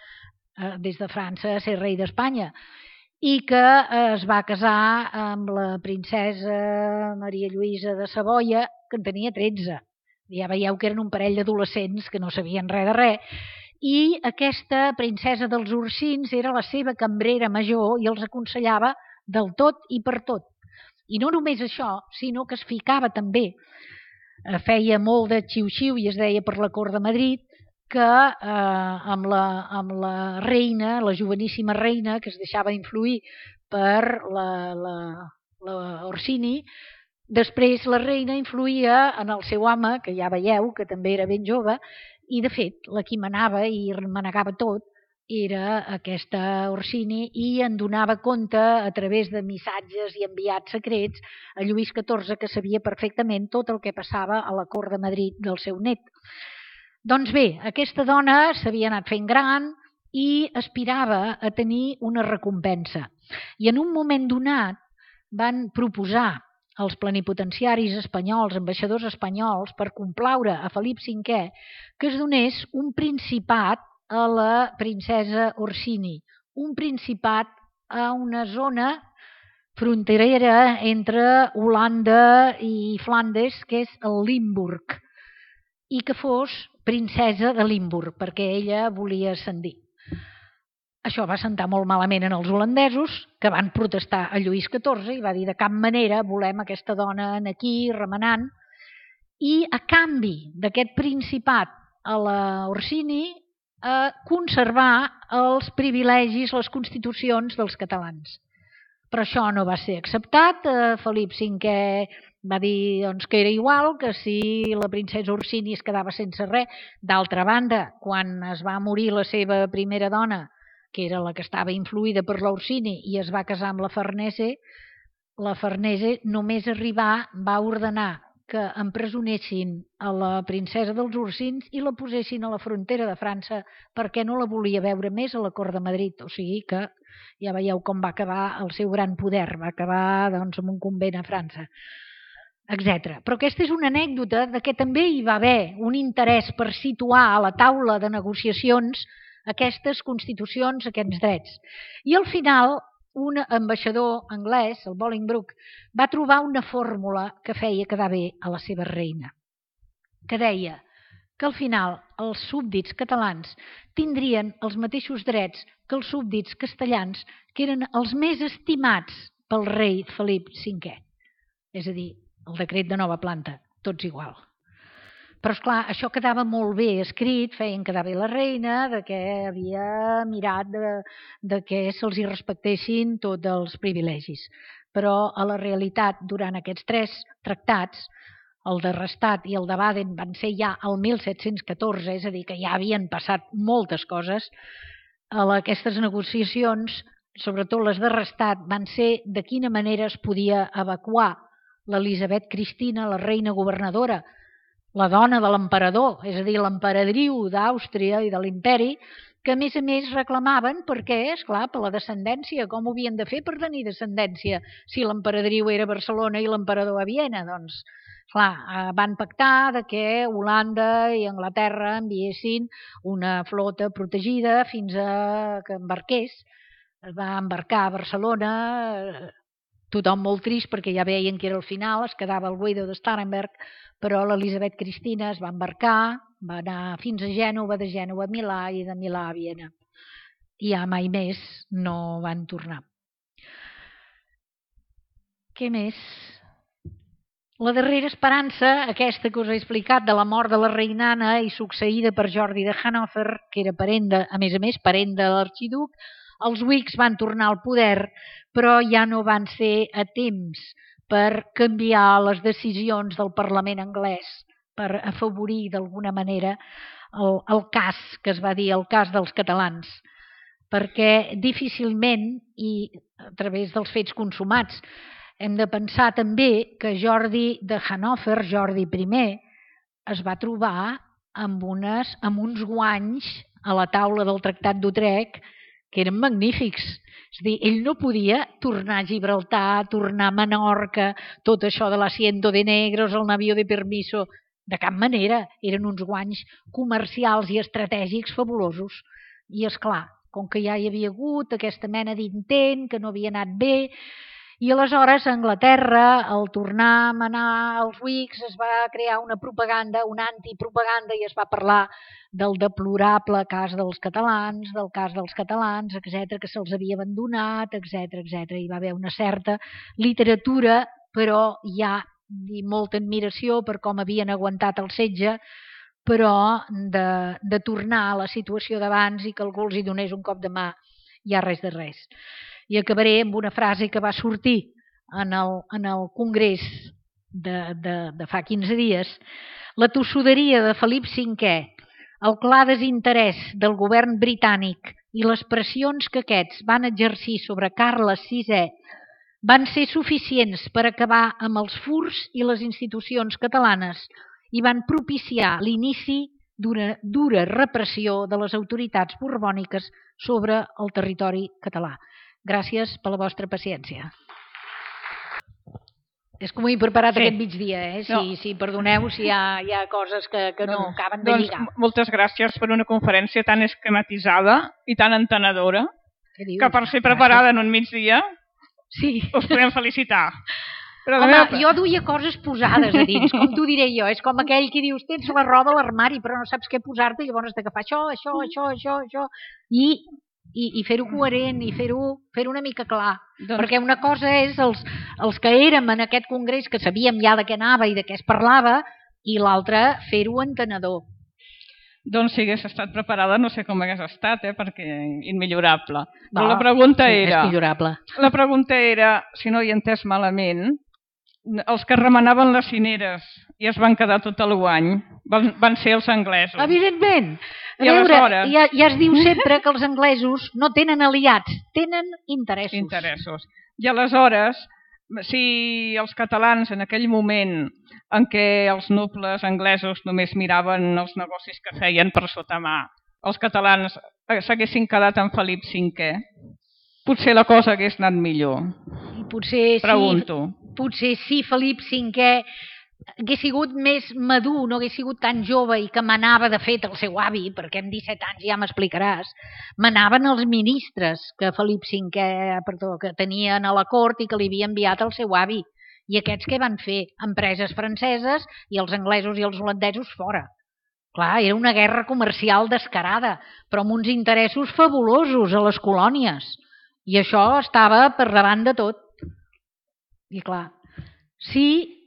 des de França a ser rei d'Espanya, i que es va casar amb la princesa Maria Lluïsa de Savoia, que en tenia 13. Ja veieu que eren un parell d'adolescents que no sabien res de res, i aquesta princesa dels Ursins era la seva cambrera major i els aconsellava del tot i per tot. I no només això, sinó que es ficava també, feia molt de xiu-xiu i es deia per la cort de Madrid, que amb la reina, la joveníssima reina, que es deixava influir per la Orsini, després la reina influïa en el seu home, que ja veieu que també era ben jove, i de fet la qui manava i manegava tot era aquesta Orsini i en donava compte a través de missatges i enviats secrets a Lluís XIV, que sabia perfectament tot el que passava a la cort de Madrid del seu net. Doncs bé, aquesta dona s'havia anat fent gran i aspirava a tenir una recompensa. I en un moment donat van proposar als plenipotenciaris espanyols, ambaixadors espanyols, per complaure a Felip V que es donés un principat a la princesa Orsini, un principat a una zona fronterera entre Holanda i Flandes, que és el Limburg, i que fos princesa de Limburg, perquè ella volia ascendir. Això va sentar molt malament en els holandesos, que van protestar a Lluís XIV i va dir de cap manera volem aquesta dona aquí remenant, i a canvi d'aquest principat a la Orsini conservar els privilegis, les constitucions dels catalans. Però això no va ser acceptat. Felip V va dir doncs, que era igual, que si la princesa Orsini es quedava sense res. D'altra banda, quan es va morir la seva primera dona, que era la que estava influïda per l'Orsini i es va casar amb la Farnese només arribar va ordenar que empresonessin a la princesa dels Ursins i la posessin a la frontera de França perquè no la volia veure més a la cort de Madrid. O sigui que ja veieu com va acabar el seu gran poder, va acabar doncs, amb un convent a França, etc. Però aquesta és una anècdota de que també hi va haver un interès per situar a la taula de negociacions aquestes constitucions, aquests drets. I al final un ambaixador anglès, el Bolingbroke, va trobar una fórmula que feia quedar bé a la seva reina, que deia que al final els súbdits catalans tindrien els mateixos drets que els súbdits castellans, que eren els més estimats pel rei Felip V. És a dir, el decret de nova planta, tots igual. Però, esclar, això quedava molt bé escrit, feien quedar bé la reina, de que havia mirat de que se'ls hi respectessin tots els privilegis. Però, a la realitat, durant aquests 3 tractats, el de Rastatt i el de Baden van ser ja el 1714, és a dir, que ja havien passat moltes coses. Aquestes negociacions, sobretot les de Rastatt, van ser de quina manera es podia evacuar l'Elisabet Cristina, la reina governadora, la dona de l'emperador, és a dir, l'emperadriu d'Àustria i de l'imperi, que a més reclamaven perquè, esclar, per la descendència, com ho havien de fer per tenir descendència si l'emperadriu era a Barcelona i l'emperador a Viena? Doncs, clar, van pactar de que Holanda i Anglaterra enviessin una flota protegida fins a que embarqués. Es va embarcar a Barcelona, tothom molt trist perquè ja veien que era el final, es quedava el Guido de Starnberg, però l'Elisabet Cristina es va embarcar, va anar fins a Gènova, de Gènova a Milà i de Milà a Viena. I ja mai més no van tornar. Què més? La darrera esperança, aquesta que us he explicat, de la mort de la reinana i succeïda per Jordi de Hannover, que era parent a més, parent de l'arxiduc, els Whigs van tornar al poder, però ja no van ser a temps per canviar les decisions del Parlament anglès, per afavorir d'alguna manera el cas que es va dir, el cas dels catalans, perquè difícilment, i a través dels fets consumats, hem de pensar també que Jordi de Hannover, Jordi I, es va trobar amb uns guanys a la taula del Tractat d'Utrecht que eren magnífics. És a dir, ell no podia tornar a Gibraltar, tornar a Menorca, tot això de l'asiento de negros, el navío de permiso, de cap manera. Eren uns guanys comercials i estratègics fabulosos. I, és clar, com que ja hi havia hagut aquesta mena d'intent, que no havia anat bé, i aleshores a Anglaterra, al tornar a manar els Whigs, es va crear una propaganda, una antipropaganda, i es va parlar del deplorable cas dels catalans, etc, que se'ls havia abandonat, etc. Hi va haver una certa literatura, però ja molta admiració per com havien aguantat el setge, però de tornar a la situació d'abans i que algú els hi donés un cop de mà, ja res de res. I acabaré amb una frase que va sortir en el congrés de fa 15 dies. La tossuderia de Felip V, el clar desinterès del govern britànic i les pressions que aquests van exercir sobre Carles VI van ser suficients per acabar amb els furs i les institucions catalanes i van propiciar l'inici d'una dura repressió de les autoritats borbòniques sobre el territori català. Gràcies per la vostra paciència. És com ho he preparat aquest migdia, si perdoneu si hi ha coses que no acaben de lligar. Moltes gràcies per una conferència tan esquematitzada i tan entenedora, que per ser preparada en un migdia us podem felicitar. Home, jo duia coses posades a dins, com t'ho diré jo. És com aquell que dius, tens la roba a l'armari però no saps què posar-te, llavors has d'agafar això, i fer-ho coherent i fer-ho una mica clar. Perquè una cosa és els que érem en aquest congrés, que sabíem ja de què anava i de què es parlava, i l'altre fer-ho entenedor. Doncs si hagués estat preparada no sé com hagués estat, perquè immillorable. Però la pregunta era, si no hi he entès malament, els que remanaven les cineres i es van quedar tot el guany van ser els anglesos. Evidentment. A veure, ja es diu sempre que els anglesos no tenen aliats, tenen interessos. I aleshores, si els catalans en aquell moment en què els nobles anglesos només miraven els negocis que feien per sota mà, els catalans s'haguessin quedat amb Felip V, potser la cosa hagués anat millor. Pregunto. Potser sí, Felip V hagués sigut més madur, no hagués sigut tan jove i que manava, de fet, el seu avi, perquè amb 17 anys ja m'explicaràs, manaven els ministres que Felip V que tenien a la cort i que li havia enviat el seu avi. I aquests què van fer? Empreses franceses i els anglesos i els holandesos fora. Clar, era una guerra comercial descarada, però amb uns interessos fabulosos a les colònies. I això estava per davant de tot. I clar, si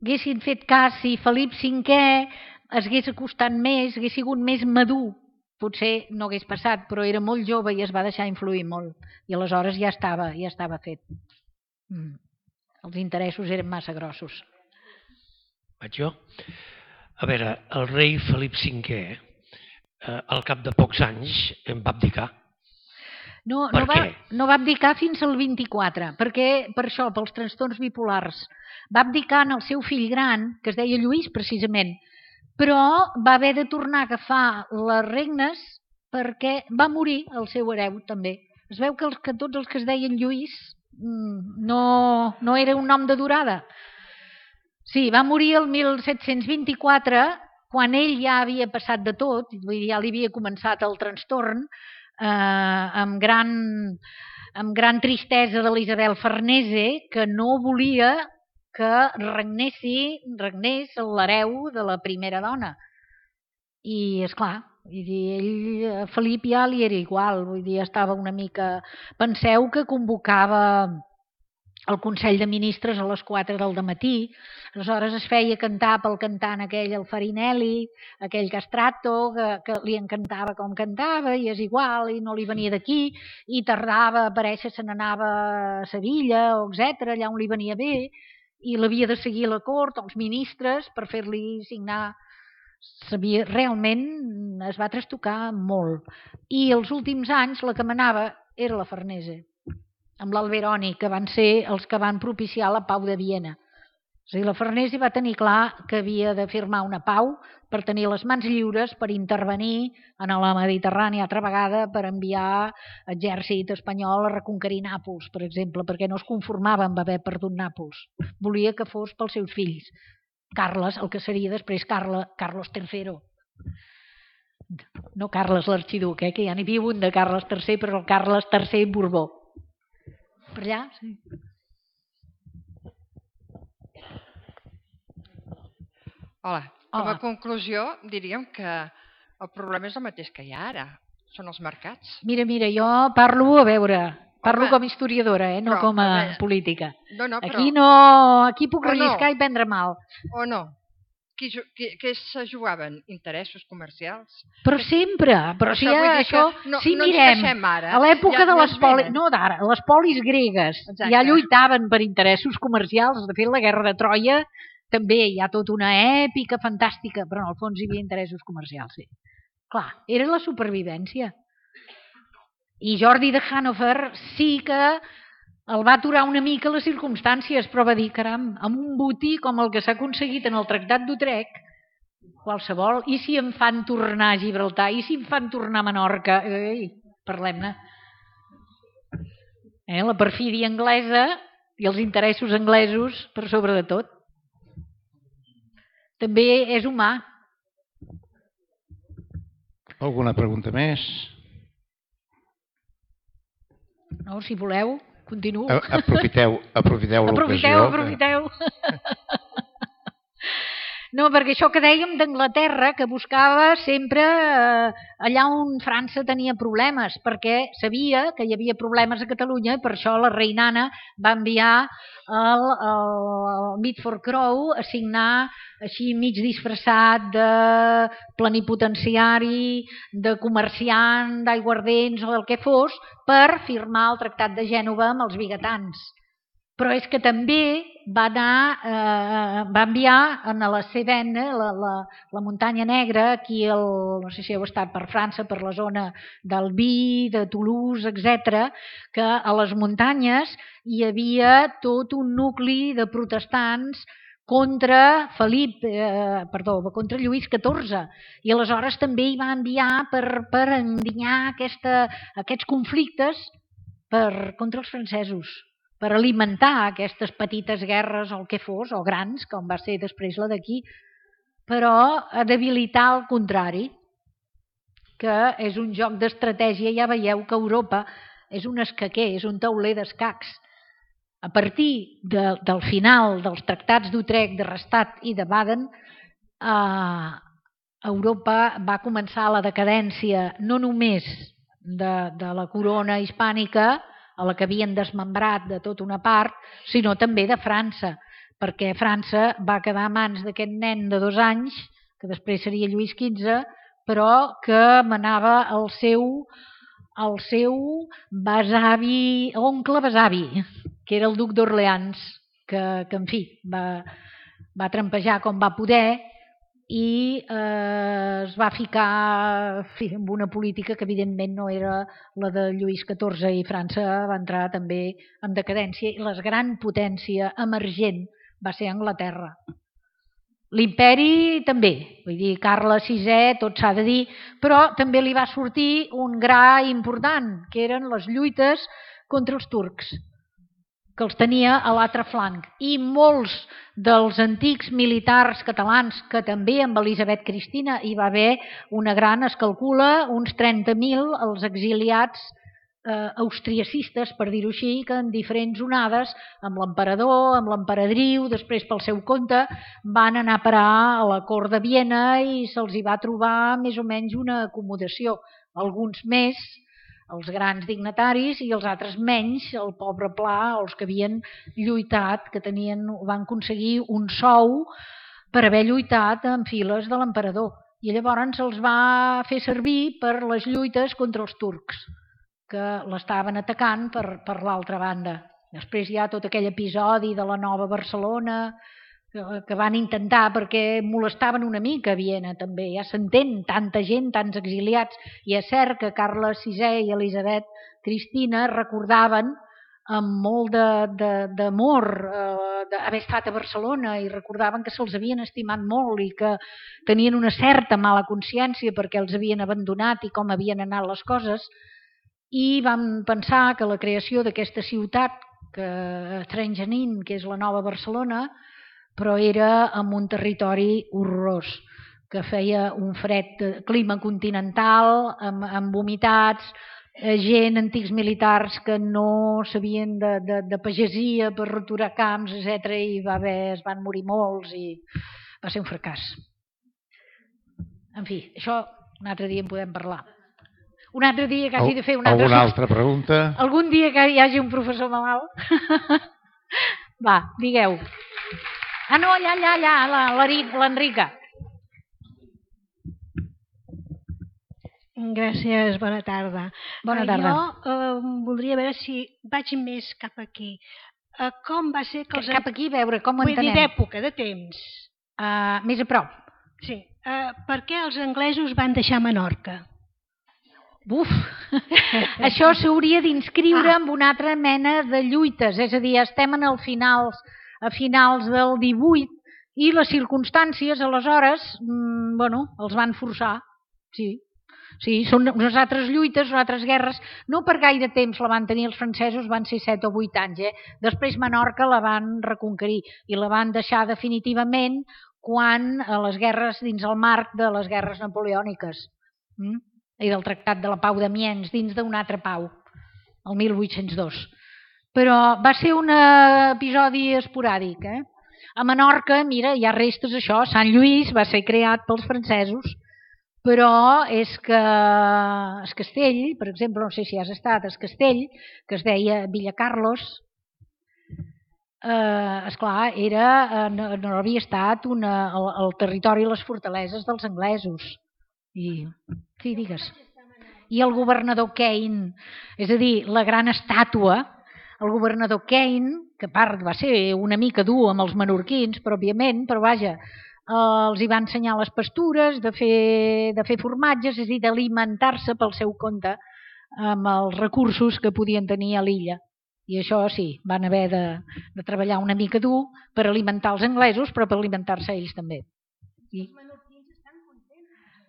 haguessin fet cas, si Felip V es hagués acostat més, hagués sigut més madur, potser no hagués passat, però era molt jove i es va deixar influir molt. I aleshores ja estava fet. Els interessos eren massa grossos. Vaig jo? A veure, el rei Felip V, al cap de pocs anys, en va abdicar. No va abdicar fins al 24, perquè per això, pels trastorns bipolars. Va abdicar en el seu fill gran, que es deia Lluís precisament, però va haver de tornar a agafar les regnes perquè va morir el seu hereu també. Es veu que tots els que es deien Lluís no era un nom de durada. Sí, va morir el 1724, quan ell ja havia passat de tot, ja li havia començat el trastorn, amb gran tristesa de l'Isabel Farnese, que no volia que regnés l'hereu de la primera dona. I, esclar, Felip ja li era igual, estava una mica... Penseu que convocava el Consell de Ministres a les 4 del dematí. Aleshores es feia cantar pel cantant aquell, el Farinelli, aquell Castrato, que li encantava com cantava i és igual, i no li venia d'aquí, i tardava a aparèixer, se n'anava a Sevilla, o etc, allà on li venia bé, i l'havia de seguir a la cort, els ministres, per fer-li signar. Realment es va trastocar molt. I els últims anys la que manava era la Farnese, amb l'Alberoni, que van ser els que van propiciar la pau de Viena. O sigui, la Farnese va tenir clar que havia de firmar una pau per tenir les mans lliures per intervenir en la Mediterrània altra vegada, per enviar exèrcit espanyol a reconquerir Nàpols, per exemple, perquè no es conformava amb haver perdut Nàpols. Volia que fos pels seus fills. Carles, el que seria després Carlos III. No Carles l'arxiduc, que ja n'hi viu un de Carles III, però el Carles III Borbó. Per allà, sí. Hola. Com a conclusió, diríem que el problema és el mateix que hi ha ara. Són els mercats. Mira, jo parlo, a veure, com a historiadora, no com a política. Aquí puc relliscar i prendre mal. O no? Què se jugaven? Interessos comercials? Però sempre, però si això... Si mirem, a l'època de les polis... No d'ara, les polis gregues ja lluitaven per interessos comercials. De fet, la guerra de Troia també hi ha tota una èpica fantàstica, però en el fons hi havia interessos comercials, sí. Clar, era la supervivència. I Jordi de Hannover sí que el va aturar una mica les circumstàncies, però va dir, caram, amb un botí com el que s'ha aconseguit en el Tractat d'Utrecht, qualsevol, i si em fan tornar a Gibraltar, i si em fan tornar a Menorca, parlem-ne. La perfídia anglesa i els interessos anglesos per sobre de tot. També és humà. Alguna pregunta més? No, si voleu, continuo. Aprofiteu l'ocasió. Aprofiteu. No, perquè això que dèiem d'Anglaterra, que buscava sempre allà on França tenia problemes, perquè sabia que hi havia problemes a Catalunya i per això la reinana va enviar el Mitford Crowe a signar així mig disfressat de plenipotenciari, de comerciant, d'aiguardents o del que fos, per firmar el Tractat de Gènova amb els vigatans. Però és que també va enviar a la Cévenne, la muntanya negra, aquí, no sé si heu estat per França, per la zona d'Albi, de Toulouse, etc., que a les muntanyes hi havia tot un nucli de protestants contra contra Lluís XIV, i aleshores també hi va enviar per endinyar aquests conflictes contra els francesos, per alimentar aquestes petites guerres o el que fos, o grans, com va ser després la d'aquí, però a debilitar el contrari, que és un joc d'estratègia. Ja veieu que Europa és un escaquer, és un tauler d'escacs. A partir del final dels tractats d'Utrecht, de Rastatt i de Baden, Europa va començar la decadència no només de la corona hispànica, a la que havien desmembrat de tota una part, sinó també de França, perquè França va quedar a mans d'aquest nen de 2 anys, que després seria Lluís XV, però que manava el seu oncle besavi, que era el duc d'Orleans, que en fi, va trampejar com va poder i es va ficar en una política que evidentment no era la de Lluís XIV, i França va entrar també en decadència, i la gran potència emergent va ser Anglaterra. L'imperi també, vull dir, Carles VI, tot s'ha de dir, però també li va sortir un gra important, que eren les lluites contra els turcs, que els tenia a l'altre flanc, i molts dels antics militars catalans, que també amb Elisabet Cristina hi va haver una gran, es calcula, uns 30.000 els exiliats austriacistes, per dir-ho així, que en diferents onades, amb l'emperador, amb l'emperadriu, després pel seu compte, van anar a parar a la cort de Viena i se'ls hi va trobar més o menys una acomodació, alguns més, els grans dignataris, i els altres menys, el pobre pla, els que havien lluitat, que van aconseguir un sou per haver lluitat en files de l'emperador. I llavors se'ls va fer servir per les lluites contra els turcs, que l'estaven atacant per l'altra banda. Després hi ha tot aquell episodi de la Nova Barcelona, que van intentar, perquè molestaven una mica a Viena també, ja s'entén, tanta gent, tants exiliats, i és cert que Carles VI i Elisabet Cristina recordaven amb molt d'amor d'haver estat a Barcelona, i recordaven que se'ls havien estimat molt i que tenien una certa mala consciència perquè els havien abandonat i com havien anat les coses, i van pensar que la creació d'aquesta ciutat, Trenjanin, que és la Nova Barcelona, però era en un territori horrorós, que feia un fred, clima continental, amb humitats, gent, antics militars que no sabien de pagesia per roturar camps, etc. I es van morir molts i va ser un fracàs. En fi, això un altre dia en podem parlar. Un altre dia que hagi de fer una altra... Alguna altra pregunta? Algun dia que hi hagi un professor malalt? Va, digueu. Ah, no, allà, l'Enrica. Gràcies, bona tarda. Bona tarda. Jo voldria veure si vaig més cap aquí. Com va ser que els... Cap aquí, veure, com ho entenem? Vull dir d'època, de temps. Més a prop. Sí. Per què els anglesos van deixar Menorca? Buf! Això s'hauria d'inscriure en una altra mena de lluites, és a dir, estem a finals del 18 i les circumstàncies aleshores, els van forçar, sí. Sí, són unes altres lluites, unes altres guerres, no per gaire temps la van tenir els francesos, van ser 7 o 8 anys. Després Menorca la van reconquerir i la van deixar definitivament quan a les guerres, dins el marc de les guerres napoleòniques i del Tractat de la Pau d'Amiens, dins d'una altra pau, el 1802. Però va ser un episodi esporàdic. A Menorca, mira, hi ha restes això, Sant Lluís va ser creat pels francesos, però és que es Castell, per exemple, no sé si has estat, es Castell, que es deia Villa Carlos, esclar, no havia estat el territori i les fortaleses dels anglesos. Sí, digues. I el governador Kane, és a dir, la gran estàtua, el governador Kane, que a part va ser una mica dur amb els menorquins, però òbviament, però vaja, els hi va ensenyar les pastures, de fer formatges, és a dir, d'alimentar-se pel seu compte amb els recursos que podien tenir a l'illa. I això sí, van haver de treballar una mica dur per alimentar els anglesos, però per alimentar-se ells també.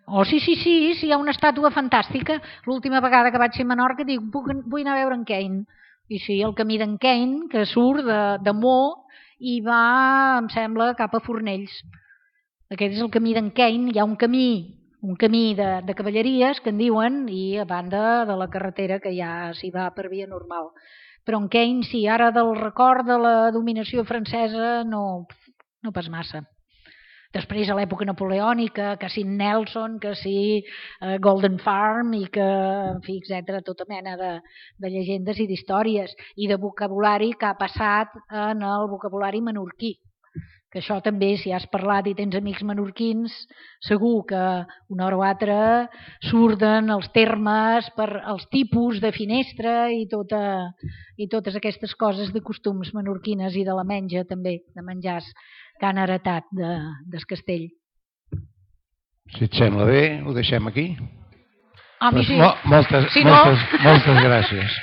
Oh, sí, hi ha una estàtua fantàstica. L'última vegada que vaig ser a Menorca dic, vull anar a veure en Kane. I sí, el camí d'en Kane, que surt de Mo i va, em sembla, cap a Fornells. Aquest és el camí d'en Kane. Hi ha un camí de cavalleries, que en diuen, i a banda de la carretera que ja s'hi va per via normal. Però en Kane, sí, ara del record de la dominació francesa, no pas massa. Després, a l'època napoleònica, que sí Nelson, que sí Golden Farm, i que, en fi, etc., tota mena de llegendes i d'històries, i de vocabulari que ha passat en el vocabulari menorquí. Que això també, si has parlat i tens amics menorquins, segur que una hora o altra surten els termes per els tipus de finestra i totes aquestes coses de costums menorquines i de la menja també, de menjars que han heretat del Castell. Si et sembla bé, ho deixem aquí. A mi sí. Moltes gràcies.